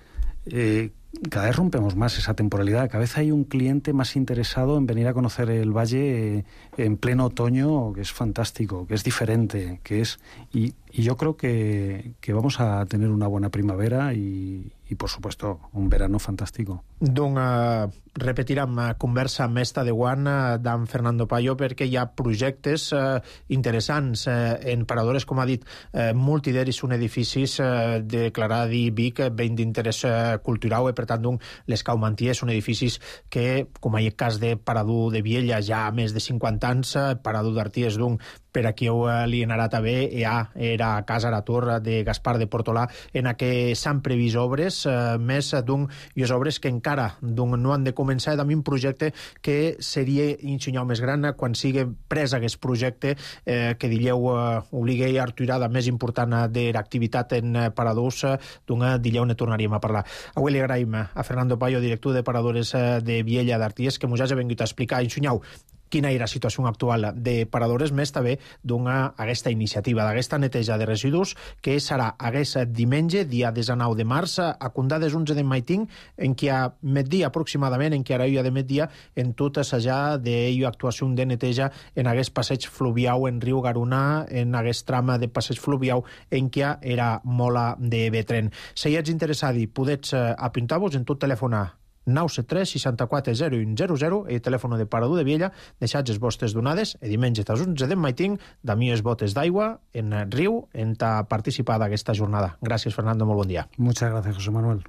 eh, cada vez rompemos más esa temporalidad, cada vez hay un cliente más interesado en venir a conocer el Valle eh, en pleno otoño, que es fantástico, que es diferente, que es y, y yo creo que, que vamos a tener una buena primavera y, y por supuesto un verano fantástico. Doncs uh, repetirem uh, conversa amb esta de Guan uh, d'en Fernando Payo, perquè hi ha projectes uh, interessants uh, en paradores, com ha dit, uh, multideris, són edificis uh, declarats i Vic, ben d'interès uh, cultural, i per tant, doncs, les Caumanties són edificis que, com hi ha el cas de Parador de Viella, ja ha més de cinquanta anys, uh, Parador d'Arties, doncs, per aquí li anarà també, ja era a Casa Aratur de Gaspar de Portolà, en què s'han previst obres, eh, més d'un, i les obres que encara d'un, no han de començar, amb un projecte que seria insenyar més gran quan sigui pres aquest projecte eh, que dilleu eh, obliga a arturada més important de l'activitat en paradors, d'un dilleu ne tornaríem a parlar. Avui li agraïm a Fernando Payo, director de paradores de Viella d'Arties, que ens hagi vingut a explicar, ensenyau quina era la situació actual de paradores, més també d'una aquesta iniciativa, d'aquesta neteja de residus, que serà aquest diumenge, dia dinou de març, a Condades onze de Maiting, en què a migdia aproximadament, en què ara hi ha de migdia, en tot assajar d'ella actuació de neteja en aquest passeig fluvial en riu Garuna, en aquest tram de passeig fluvial en què era mola de Betren. Si ets interessat i podets apuntar-vos en tot telefonar nou set tres seixanta-quatre zero u zero zero, el telèfon de Parador de Viella, deixats les vostres donades, i diumenge a les onze de Maiting, de mi les botes d'aigua en riu, en ta participar d'aquesta jornada. Gràcies, Fernando, molt bon dia. Muchas gracias, José Manuel.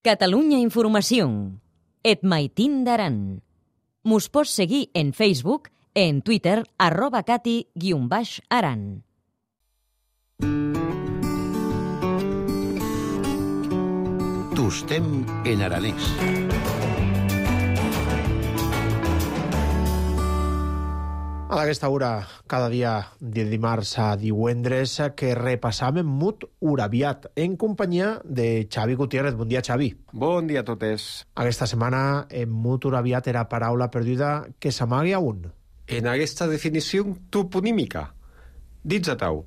Catalunya Informació. Et Maitín d'Aran. Mos pots seguir en Facebook, en Twitter, arroba cati guion baix aran. Tostem en aranès. A aquesta hora, cada dia de dimarts a divendres, que repassam Mut Urabiat, en companyia de Xavi Gutiérrez. Bon dia, Xavi. Bon dia a totes. Aquesta setmana, en Mut Urabiat era paraula perduda que s'amaga un. En aquesta definició toponímica, dits a tau,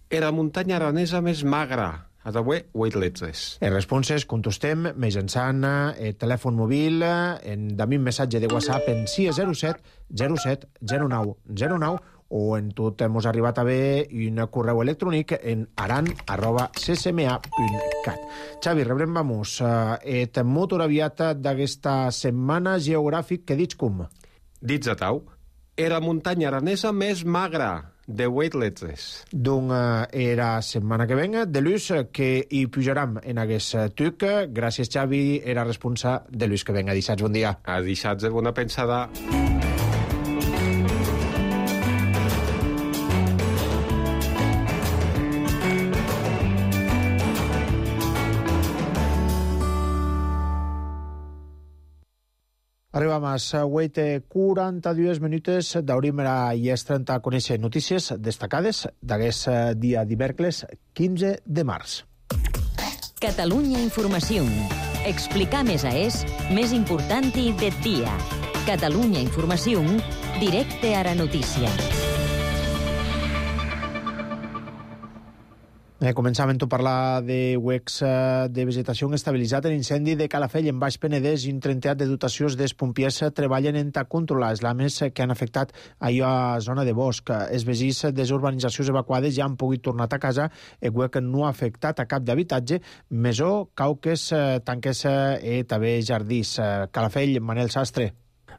era la muntanya aranesa més magra, a d'avui Weightless. En responses contestem mitjançant el telèfon mòbil en també un missatge de WhatsApp en sis zero set zero set zero nou zero nou o en tot hemos arribat a ver un correu electrònic en aran arroba c s m a punt cat. Xavi, rebrem, vamos, et Mut Urabiat d'aquesta setmana geogràfic que dits com? Dits a tau, era la muntanya aranesa més magra, de Weightless. Doncs era setmana que venga, de l'ús que hi pujaram en aquest tuc. Gràcies, Xavi, era responsable de l'ús que venga. Dissats, bon dia. A dissats, bona pensada. Arribam a les quaranta-dues minutes, d'obrim ara i és trenta a conèixer notícies destacades d'aquest dia divendres quinze de març. Catalunya Informació. Explicar més a és més important i de dia. Catalunya Informació, directe a la notícia. Eh, començàvem a parlar de huecs de vegetació estabilitzat en incendi de Calafell en Baix Penedès i un trenteat de dotacions dels pompiers treballen en controlar les lames que han afectat allò a zona de bosc. Els veïns de les urbanitzacions evacuades ja han pogut tornar a casa. El huec no ha afectat a cap d'habitatge, mesó, cauques, tanques i també jardins. Calafell, Manel Sastre.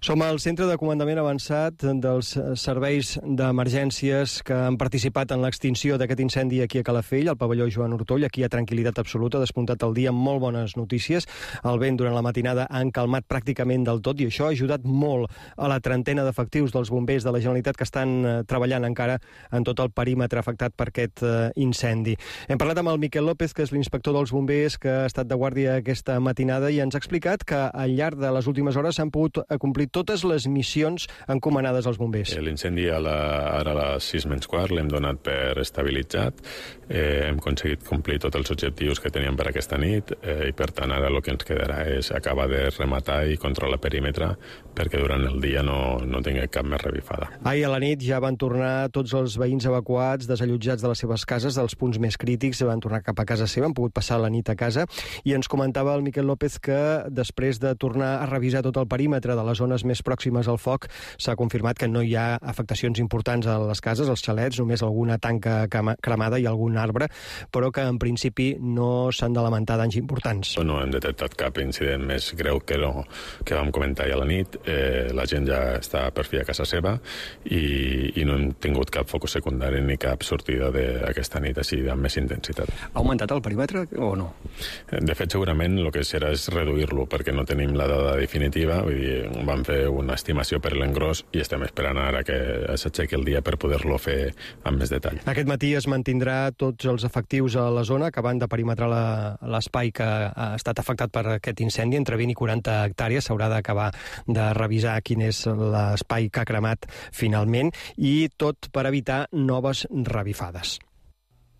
Som al centre de comandament avançat dels serveis d'emergències que han participat en l'extinció d'aquest incendi aquí a Calafell, al pavelló Joan Ortoll. Aquí hi ha tranquil·litat absoluta, despuntat el dia amb molt bones notícies. El vent durant la matinada han calmat pràcticament del tot i això ha ajudat molt a la trentena d'efectius dels bombers de la Generalitat que estan treballant encara en tot el perímetre afectat per aquest incendi. Hem parlat amb el Miquel López, que és l'inspector dels bombers, que ha estat de guàrdia aquesta matinada i ens ha explicat que al llarg de les últimes hores s'han pogut complir totes les missions encomanades als bombers. L'incendi ara a les sis menys quart l'hem donat per estabilitzat. Eh, hem aconseguit complir tots els objectius que teníem per aquesta nit eh, i per tant ara el que ens quedarà és acabar de rematar i controlar el perímetre perquè durant el dia no, no tingui cap més revifada. Ahir a la nit ja van tornar tots els veïns evacuats, desallotjats de les seves cases, dels punts més crítics, van tornar cap a casa seva, han pogut passar la nit a casa i ens comentava el Miquel López que després de tornar a revisar tot el perímetre de les zones més pròximes al foc, s'ha confirmat que no hi ha afectacions importants a les cases, als xalets, només alguna tanca cremada i algun arbre, però que en principi no s'han de lamentar danys importants. No hem detectat cap incident més greu que, no, que vam comentar ja a la nit. Eh, la gent ja està per fi a casa seva i, i no hem tingut cap focus secundari ni cap sortida d'aquesta nit així amb més intensitat. Ha augmentat el perímetre o no? De fet, segurament el que serà és reduir-lo perquè no tenim la dada definitiva. Vull dir, vam fer una estimació per l'engròs i estem esperant ara que s'aixequi el dia per poder-lo fer amb més detall. Aquest matí es mantindrà tots els efectius a la zona, acabant de perimetrar l'espai que ha estat afectat per aquest incendi, entre vint i quaranta hectàrees. S'haurà d'acabar de revisar quin és l'espai que ha cremat finalment, i tot per evitar noves revifades.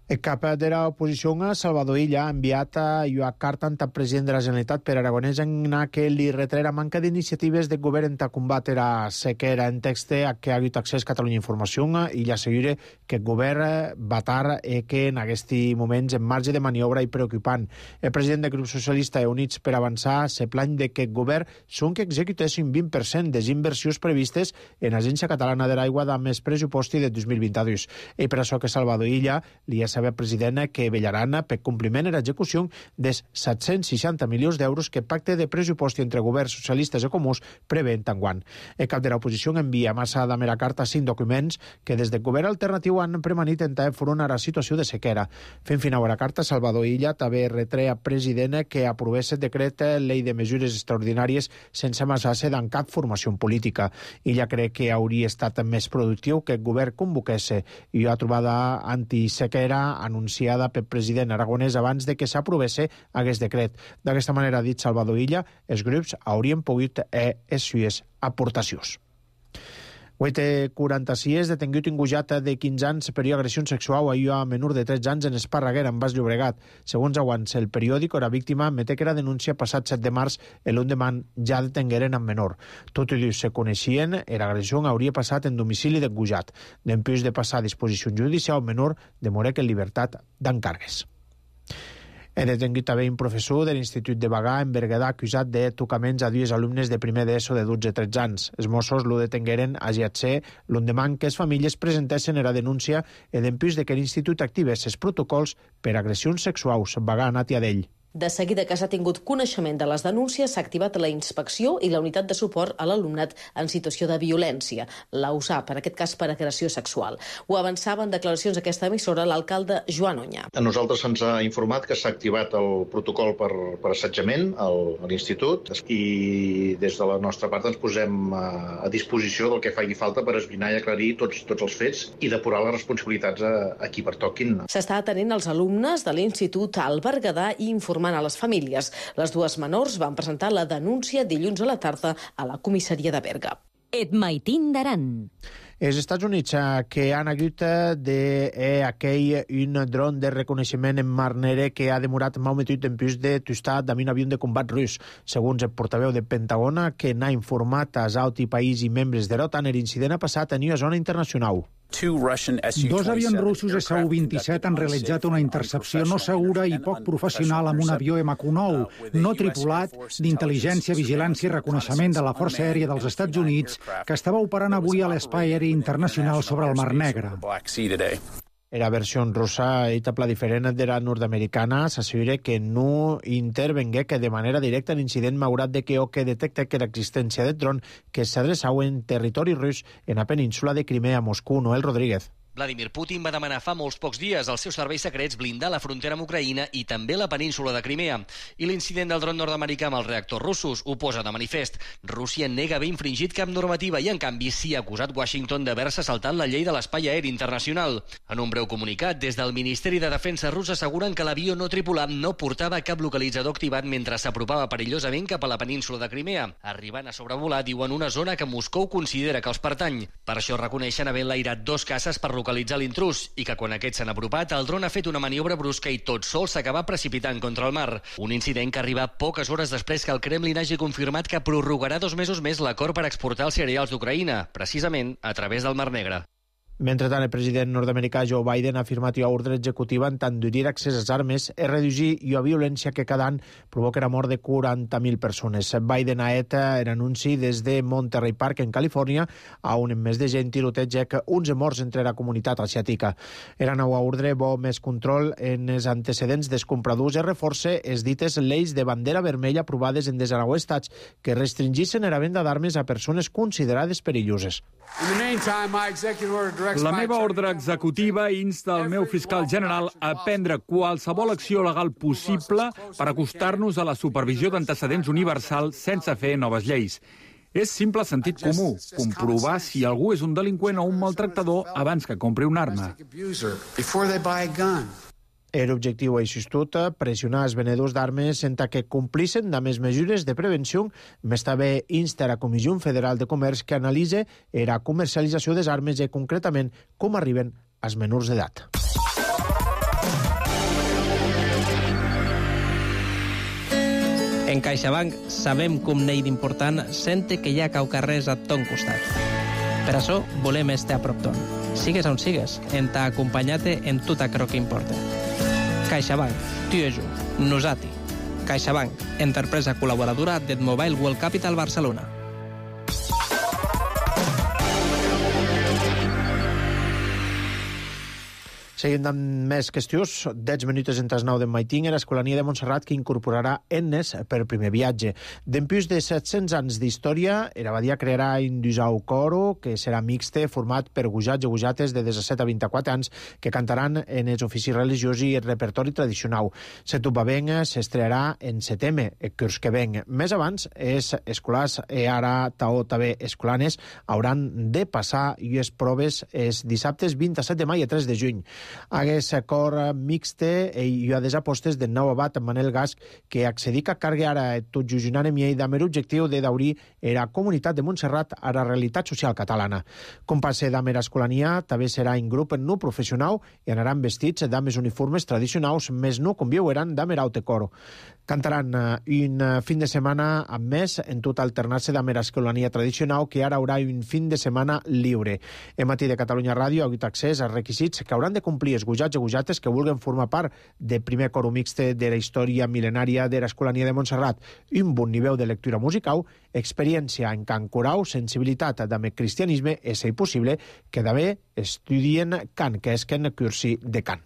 El cap de l'oposició, Salvador Illa, ha enviat una carta al president de la Generalitat, Pere Aragonès, en què li retrera manca d'iniciatives del govern per combatre la sequera. En text que ha hagut accés a Catalunya Informació, Illa assegura que el govern va tard i que en aquests moments en marge de maniobra i preocupant. El president del grup socialista i Units per Avançar se plany de que el govern són que executessin un vint per cent de les inversions previstes en l'Agència Catalana de l'Aigua de més pressuposti de dos mil vint-dos. I per això que Salvador Illa li ha saber president que vellaran per compliment en l'execució dels set-cents seixanta milions d'euros que el pacte de pressupost entre governs socialistes i comuns prevé enguany. El cap de l'oposició envia massa de mera carta cinc documents que des del govern alternatiu han premanit intentar enfront a la situació de sequera. Fent final a la carta, Salvador Illa també retre al president que aprovés el decret llei de mesures extraordinàries sense amassar-se en cap formació política. Illa crec que hauria estat més productiu que el govern convoqués i una trobada antisequera anunciada pel president Aragonès abans de que s'aprovés aquest decret. D'aquesta manera, ha dit Salvador Illa, els grups haurien pogut fer les seves aportacions. vuit quaranta-sis, detingut engujat de quinze anys per agressió sexual a una menor de tretze anys en Esparreguera, en Baix Llobregat. Segons aguants el periòdic, la víctima mete que la denúncia passat set de març i l'endemà ja detengueren amb menor. Tot i se coneixien, l'agressió hauria passat en domicili d'engujat. D'empús de passar a disposició judicial, el menor demorec en llibertat d'encàrregues. He detengut també un professor de l'Institut de Bagà en Berguedà acusat de tocaments a dues alumnes de primer d'ESO de dotze a tretze anys. Els Mossos lo detengueren a Giatser l'endemà que les famílies presentessin la denúncia i d'empús de que l'Institut activés els protocols per agressions sexuals. Bagà ha anat a d'ell. De seguida que s'ha tingut coneixement de les denúncies, s'ha activat la inspecció i la unitat de suport a l'alumnat en situació de violència, la U S A P, en aquest cas per agressió sexual. Ho avançava en declaracions d'aquesta emissora l'alcalde Joan Oñà. A nosaltres se'ns ha informat que s'ha activat el protocol per, per assetjament al, a l'institut i des de la nostra part ens posem a, a disposició del que faci falta per esbrinar i aclarir tots, tots els fets i depurar les responsabilitats a, a qui pertoquin. S'està atenent els alumnes de l'institut al Berguedà i informant a les famílies. Les dues menors van presentar la denúncia dilluns a la tarda a la comissaria de Berga. Et maitin d'Aran. Els Estats Units que han hagut d'aquell un dron de reconeixement en Mar Negre que ha demorat molt metut en plus de tostar d'un avió de combat rus. Segons el portaveu del Pentagona, que n'ha informat als altres països i membres de l'OTAN, l'incident ha passat en una zona internacional. Dos avions russos S U vint-i-set han realitzat una intercepció no segura i poc professional amb un avió M Q nou, no tripulat, d'intel·ligència, vigilància i reconeixement de la Força Aèria dels Estats Units, que estava operant avui a l'Espai Aeri Internacional sobre el Mar Negre. La versió russa i pla diferent de la nord-americana s'assegura que no intervengué que de manera directa l'incident malgrat de que o que detecta que l'existència del dron que s'adreçava en territori rus en la península de Crimea a Moscou. Noel Rodríguez. Vladimir Putin va demanar fa molts pocs dies als seus serveis secrets blindar la frontera amb Ucraïna i també la península de Crimea. I l'incident del dron nord-americà amb els reactors russos ho posa de manifest. Rússia nega haver infringit cap normativa i, en canvi, sí ha acusat Washington d'haver-se saltat la llei de l'espai aeri internacional. En un breu comunicat, des del Ministeri de Defensa rus asseguren que l'avió no tripulat no portava cap localitzador activat mentre s'apropava perillosament cap a la península de Crimea, arribant a sobrevolar, diuen, una zona que Moscou considera que els pertany. Per això reconeixen haver enlairat dos caces per localitzar l'intrús i que quan aquests s'han apropat, el dron ha fet una maniobra brusca i tot sol s'acaba precipitant contra el mar. Un incident que arriba poques hores després que el Kremlin hagi confirmat que prorrogarà dos mesos més l'acord per exportar els cereals d'Ucraïna, precisament a través del Mar Negre. Mentrestant, el president nord-americà Joe Biden ha afirmat una ordre executiva en tant d'obrir accés a les armes i reduir la violència que cada any provoca la mort de quaranta mil persones. Biden ha fet l'anunci des de Monterey Park, en Califòrnia, on més de gent tiroteja onze morts entre la comunitat asiàtica. La nova ordre vol més control en els antecedents dels compradors i reforça els dites lleis de bandera vermella aprovades en desanou estats que restringissin la venda d'armes a persones considerades perilloses. La meva ordre executiva insta el meu fiscal general a prendre qualsevol acció legal possible per acostar-nos a la supervisió d'antecedents universal sense fer noves lleis. És simple sentit comú, comprovar si algú és un delinqüent o un maltractador abans que compri una arma. Era objectiu així-tot pressionar els venedors d'armes en que complissen de més mesures de prevenció. Més també insta la Comissió Federal de Comerç que analitze la comercialització des armes i concretament com arriben als menors d'edat. En CaixaBank sabem com n'hi d'important sente que hi ha caucarrers a ton costat. Per això volem estar a prop ton. Sigues on sigues, en t'acompanyar-te en tot allò que importa. CaixaBank, tu i jo, nosati. CaixaBank, empresa col·laboradora del Mobile World Capital Barcelona. Seguint amb més qüestions, deu minuts entre les nou d'en Maiting, l'Escolania de Montserrat que incorporarà Ennes per primer viatge. D'empús de set-cents anys d'història, l'abadia crearà un dusau coro que serà mixte, format per gujats i gujates de disset a vint-i-quatre anys que cantaran en els oficis religiosos i el repertori tradicional. Setupaveng s'estrearà en setembre, el curs que ven. Més abans, els escolars i ara taó també escolanes hauran de passar les proves els dissabtes vint-i-set de maig i tres de juny. Aquest cor mixte i a des apostes del nou abat Manel Gasc que accedica a carregar ara tot jujunant en miei amb l'objectiu de daurir la comunitat de Montserrat a la realitat social catalana. Com passa d'amb l'escolania, també serà un grup no professional i anaran vestits d'amb els uniformes tradicionals, més no com viuran d'amb l'aute coro. Cantaran un fin de setmana amb més en tot alternant-se d'amb l'escolania tradicional que ara haurà un fin de setmana lliure. El matí de Catalunya Ràdio ha hagut accés als requisits que hauran de complir els gujats i gujates que vulguin formar part del primer coro mixte de la història mil·lenària de l'Escolania de Montserrat. Un bon nivell de lectura musical, experiència en cant coral, sensibilitat amb el cristianisme, és si possible que també estudien cant, que és que en cursi de cant.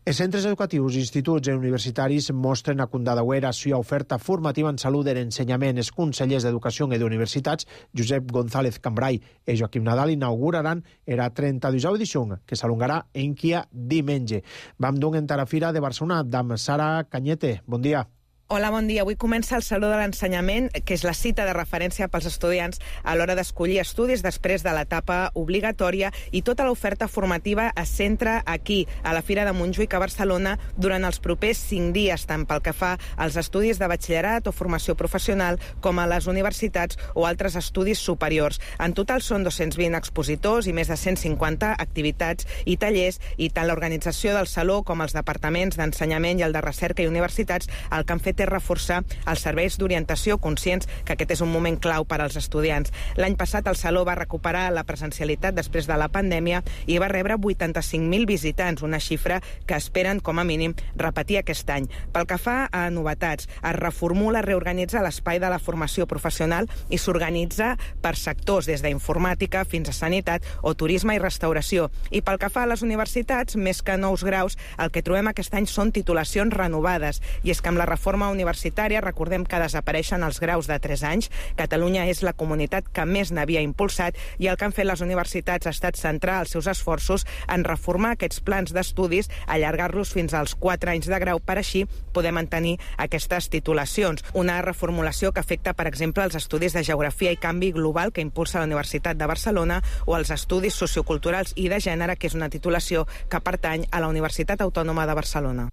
Els centres educatius, instituts i universitaris mostren a Condadauer la seva oferta formativa en salut de l'ensenyament. Els consellers d'Educació i d'Universitats, Josep González Cambrai i Joaquim Nadal, inauguraran la trenta-duena edició, que s'alongarà en quia diumenge. Vam d'un entrar a Fira de Barcelona amb Sara Cañete. Bon dia. Hola, bon dia. Avui comença el Saló de l'Ensenyament, que és la cita de referència pels estudiants a l'hora d'escollir estudis després de l'etapa obligatòria, i tota l'oferta formativa es centra aquí, a la Fira de Montjuïc, a Barcelona, durant els propers cinc dies, tant pel que fa als estudis de batxillerat o formació professional, com a les universitats o altres estudis superiors. En total són dos-cents vint expositors i més de cent cinquanta activitats i tallers, i tant l'organització del Saló com els departaments d'ensenyament i el de recerca i universitats el que han fet és reforçar els serveis d'orientació, conscients que aquest és un moment clau per als estudiants. L'any passat el Saló va recuperar la presencialitat després de la pandèmia i va rebre vuitanta-cinc mil visitants, una xifra que esperen com a mínim repetir aquest any. Pel que fa a novetats, es reformula, reorganitza l'espai de la formació professional i s'organitza per sectors, des d'informàtica fins a sanitat o turisme i restauració. I pel que fa a les universitats, més que nous graus, el que trobem aquest any són titulacions renovades. I és que amb la reforma universitària, recordem que desapareixen els graus de tres anys. Catalunya és la comunitat que més n'havia impulsat, i el que han fet les universitats ha estat centrar els seus esforços en reformar aquests plans d'estudis, allargar-los fins als quatre anys de grau per així poder mantenir aquestes titulacions. Una reformulació que afecta, per exemple, els estudis de Geografia i Canvi Global que impulsa la Universitat de Barcelona, o els estudis socioculturals i de gènere, que és una titulació que pertany a la Universitat Autònoma de Barcelona.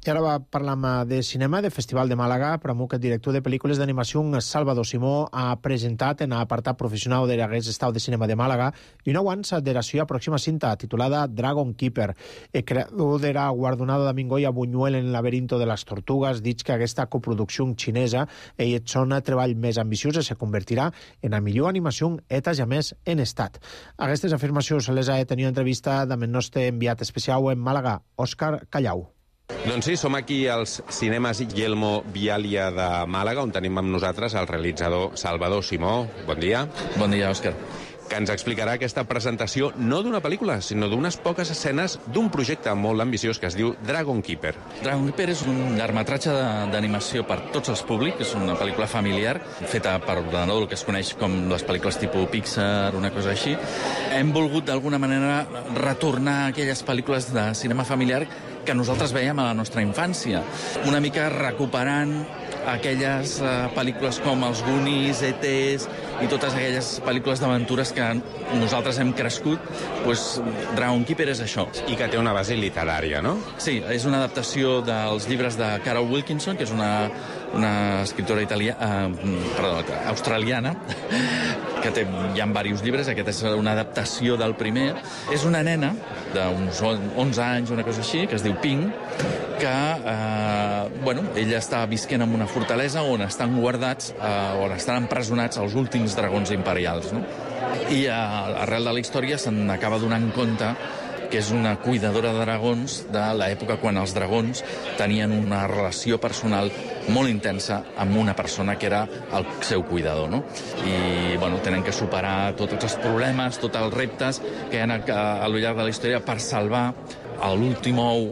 I ara va parlar de cinema, del Festival de Màlaga. Pramo que el director de pel·lícules d'animació, Salvador Simó, ha presentat en l'apartat professional de l'Hagués Estau de Cinema de Màlaga i una avança de la seva pròxima cinta, titulada Dragon Keeper. El creador de la guardonada d'Amingoy a Buñuel en el laberinto de les tortugues, dit que aquesta coproducció xinesa i el son treball més ambiciós se convertirà en la millor animació eta jamés en estat. Aquestes afirmacions les ha de tenir entrevista amb el nostre enviat especial en Màlaga, Òscar Callau. Doncs sí, som aquí als cinemes Yelmo Vialia de Màlaga, on tenim amb nosaltres el realitzador Salvador Simó. Bon dia. Bon dia, Òscar. Que ens explicarà aquesta presentació no d'una pel·lícula, sinó d'unes poques escenes d'un projecte molt ambiciós que es diu Dragon Keeper. Dragon Keeper és un llargmetratge d'animació per tots els públics, és una pel·lícula familiar feta per ordenador, el que es coneix com les pel·lícules tipus Pixar, una cosa així. Hem volgut d'alguna manera retornar a aquelles pel·lícules de cinema familiar que nosaltres veiem a la nostra infància, una mica recuperant aquelles uh, pel·lícules com els Goonies, E T i totes aquelles pel·lícules d'aventures que nosaltres hem crescut, doncs Dragon Keeper és això. I que té una base literària, no? Sí, és una adaptació dels llibres de Carol Wilkinson, que és una, una escriptora italiana, uh, perdó, australiana, que té, hi ha diversos llibres. Aquest és una adaptació del primer. És una nena d'uns onze anys, una cosa així, que es diu Pink, que eh, bueno, ella està visquent en una fortalesa on estan guardats, eh, on estan empresonats els últims dragons imperials, no? I eh, arrel de la història se'n acaba donant compte que és una cuidadora de dragons de l'època quan els dragons tenien una relació personal molt intensa amb una persona que era el seu cuidador, no? I, bueno, tenen que superar tots els problemes, tots els reptes que hi ha a lo llarg de la història per salvar l'últim ou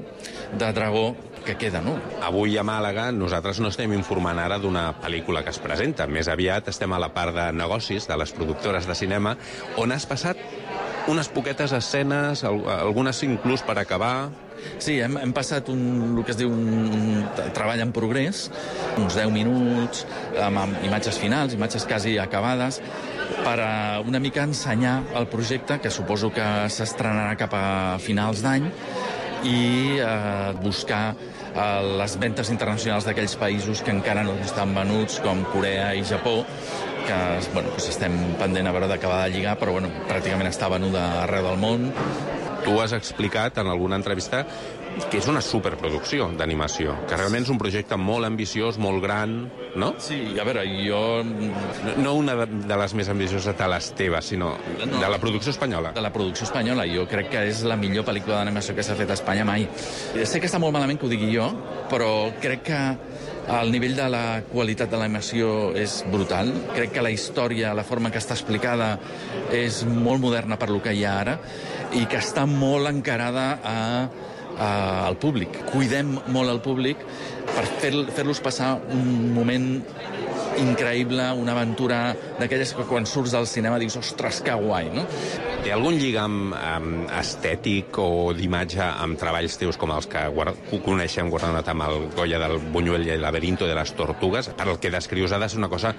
de dragó que queda, no? Avui a Màlaga nosaltres no estem informant ara d'una pel·lícula que es presenta. Més aviat estem a la part de negocis de les productores de cinema, on has passat unes poquetes escenes, algunes inclús per acabar. Sí, hem, hem passat un, el que es diu un treball en progrés, uns deu minuts, amb, amb imatges finals, imatges quasi acabades, per a una mica ensenyar el projecte, que suposo que s'estrenarà cap a finals d'any, i eh, buscar eh, les ventes internacionals d'aquells països que encara no estan venuts, com Corea i Japó, que bueno, pues estem pendent a veure d'acabar de lligar, però bueno, pràcticament està venuda arreu del món. Tu has explicat en alguna entrevista que és una superproducció d'animació, que realment és un projecte molt ambiciós, molt gran, no? Sí, a veure, jo... No, no una de les més ambicioses de les teves, sinó no, de la producció espanyola. De la producció espanyola. Jo crec que és la millor pel·lícula d'animació que s'ha fet a Espanya mai. Sé que està molt malament que ho digui jo, però crec que el nivell de la qualitat de l'animació és brutal. Crec que la història, la forma que està explicada, és molt moderna per lo que hi ha ara i que està molt encarada a, a, al públic. Cuidem molt al públic per fer, fer-los passar un moment increïble, una aventura d'aquelles que quan surts del cinema dius, ostres, que guai, no? Té algun lligam um, estètic o d'imatge amb treballs teus com els que guard... coneixem guardonat amb el Goya del Buñuel i el Laberinto de les Tortugues? Per el que descrius ha de ser una cosa,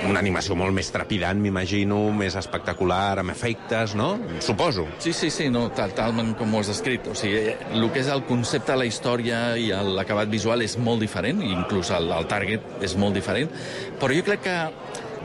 una animació molt més trepidant, m'imagino, més espectacular, amb efectes, no? Suposo. Sí, sí, sí, no, tal, talment com ho has descrit. O sigui, el que és el concepte de la història i l'acabat visual és molt diferent, i inclús el, el target és molt diferent, però jo crec que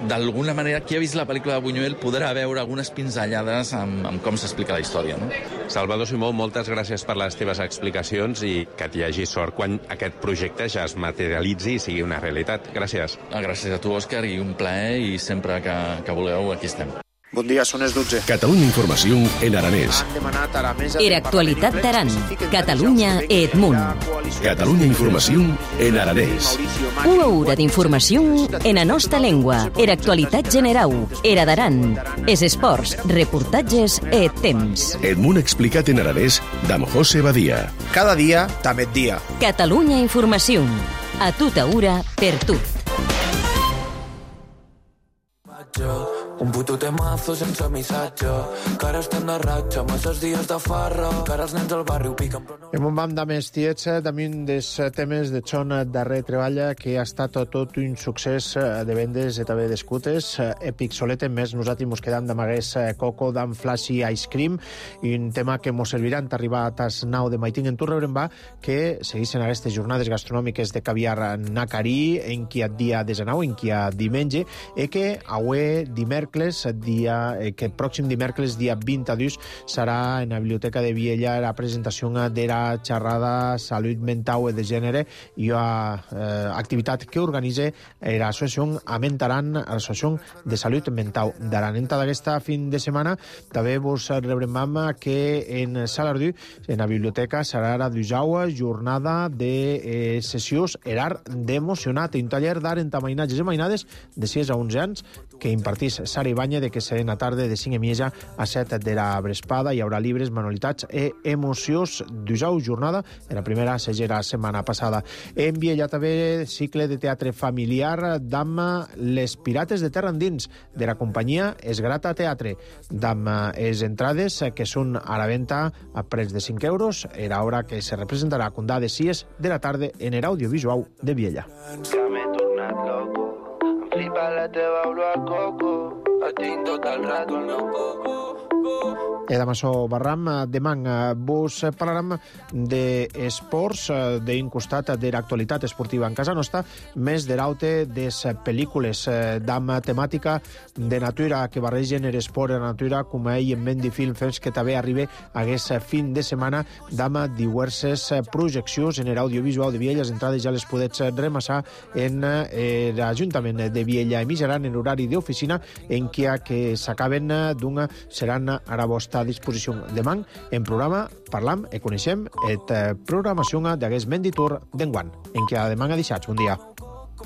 d'alguna manera, qui ha vist la pel·lícula de Buñuel podrà veure algunes pinzellades amb, amb com s'explica la història, no? Salvador Simó, moltes gràcies per les teves explicacions i que t'hi hagi sort quan aquest projecte ja es materialitzi i sigui una realitat. Gràcies. Gràcies a tu, Òscar, i un plaer, i sempre que, que vulgueu, aquí estem. Bon dia, són les dotze. Catalunya Informació en aranès. Era actualitat d'Aran. Catalunya et Munt. Catalunya Informació en aranès. Una hora d'informació en la nostra llengua. Era actualitat generau. Era d'Aran. Es esports, reportatges et temps. Et Munt explicat en aranès d'Am José Badia. Cada dia, també et dia. Catalunya Informació. A tota hora, per tu. Un puto temazo sense missatge, que ara estem de ratxa, masses dies de farra, que ara els nens al barri ho piquen però no... En un bam de més tiets, també un dels temes de Chon darrer treballa que ha estat tot un succés de vendes i també d'escutes. Epic Solete, més nosaltres mos quedam d'amagués Coco, d'en Flashy Ice Cream, i un tema que mos servirà en arribar a tas nau de Maiting en tu rebrem va que seguissin aquestes jornades gastronòmiques de caviar Nacarí, en qui ha dia desenau, en qui ha diumenge, i que avui dimecres dia, eh, que pròxim dimecres, dia vint a dos, serà en la Biblioteca de Viella la presentació de la xerrada Salut Mental i de Gènere i una eh, activitat que organitza l'Associació Amentaran, l'Associació de Salut Mental d'Aran. En d'aquesta fin de setmana també vos rebrem que en Salardú, en la biblioteca, serà la dusau jornada de eh, sessions erar d'emocionat, un taller d'art en mainatges i mainades de sis a onze anys que impartís Sara Ibanya, de que serà en la tarda de cinc i mitja a set de la vesprada. Hi haurà llibres, manualitats i emocions. Dusau jornada, en la primera segera setmana passada. En Viella també cicle de teatre familiar d'amb Les Pirates de Terra Endins, de la companyia Esgrata Teatre, d'amb les entrades que són a la venda a preus de cinc euros. Era hora que se representarà a Condà de sis de la tarda en l'audiovisual de Viella. tornat loco. Em flipa la teva olor a coco. Et tinc tot el rato al meu coco. E damb açò barram, demà vos parlarem d'esports, d'un costat de l'actualitat esportiva en casa nostra, més de l'aute des pel·lícules damb temàtica de natura que barregen l'esport i la natura, com ell en Mendy Film Fest, que també arriba aquest fin de setmana damb diverses projeccions en l'audiovisual de Viella. Les entrades ja les podets remassar en l'Ajuntament de Viella i Mijaran en l'horari d'oficina, en què que s'acaben d'una seran a la vostra disposició. Demà en programa parlam i coneixem la programació d'aquest Mendy Tour d'enguany, en què demà ha deixat. Bon dia.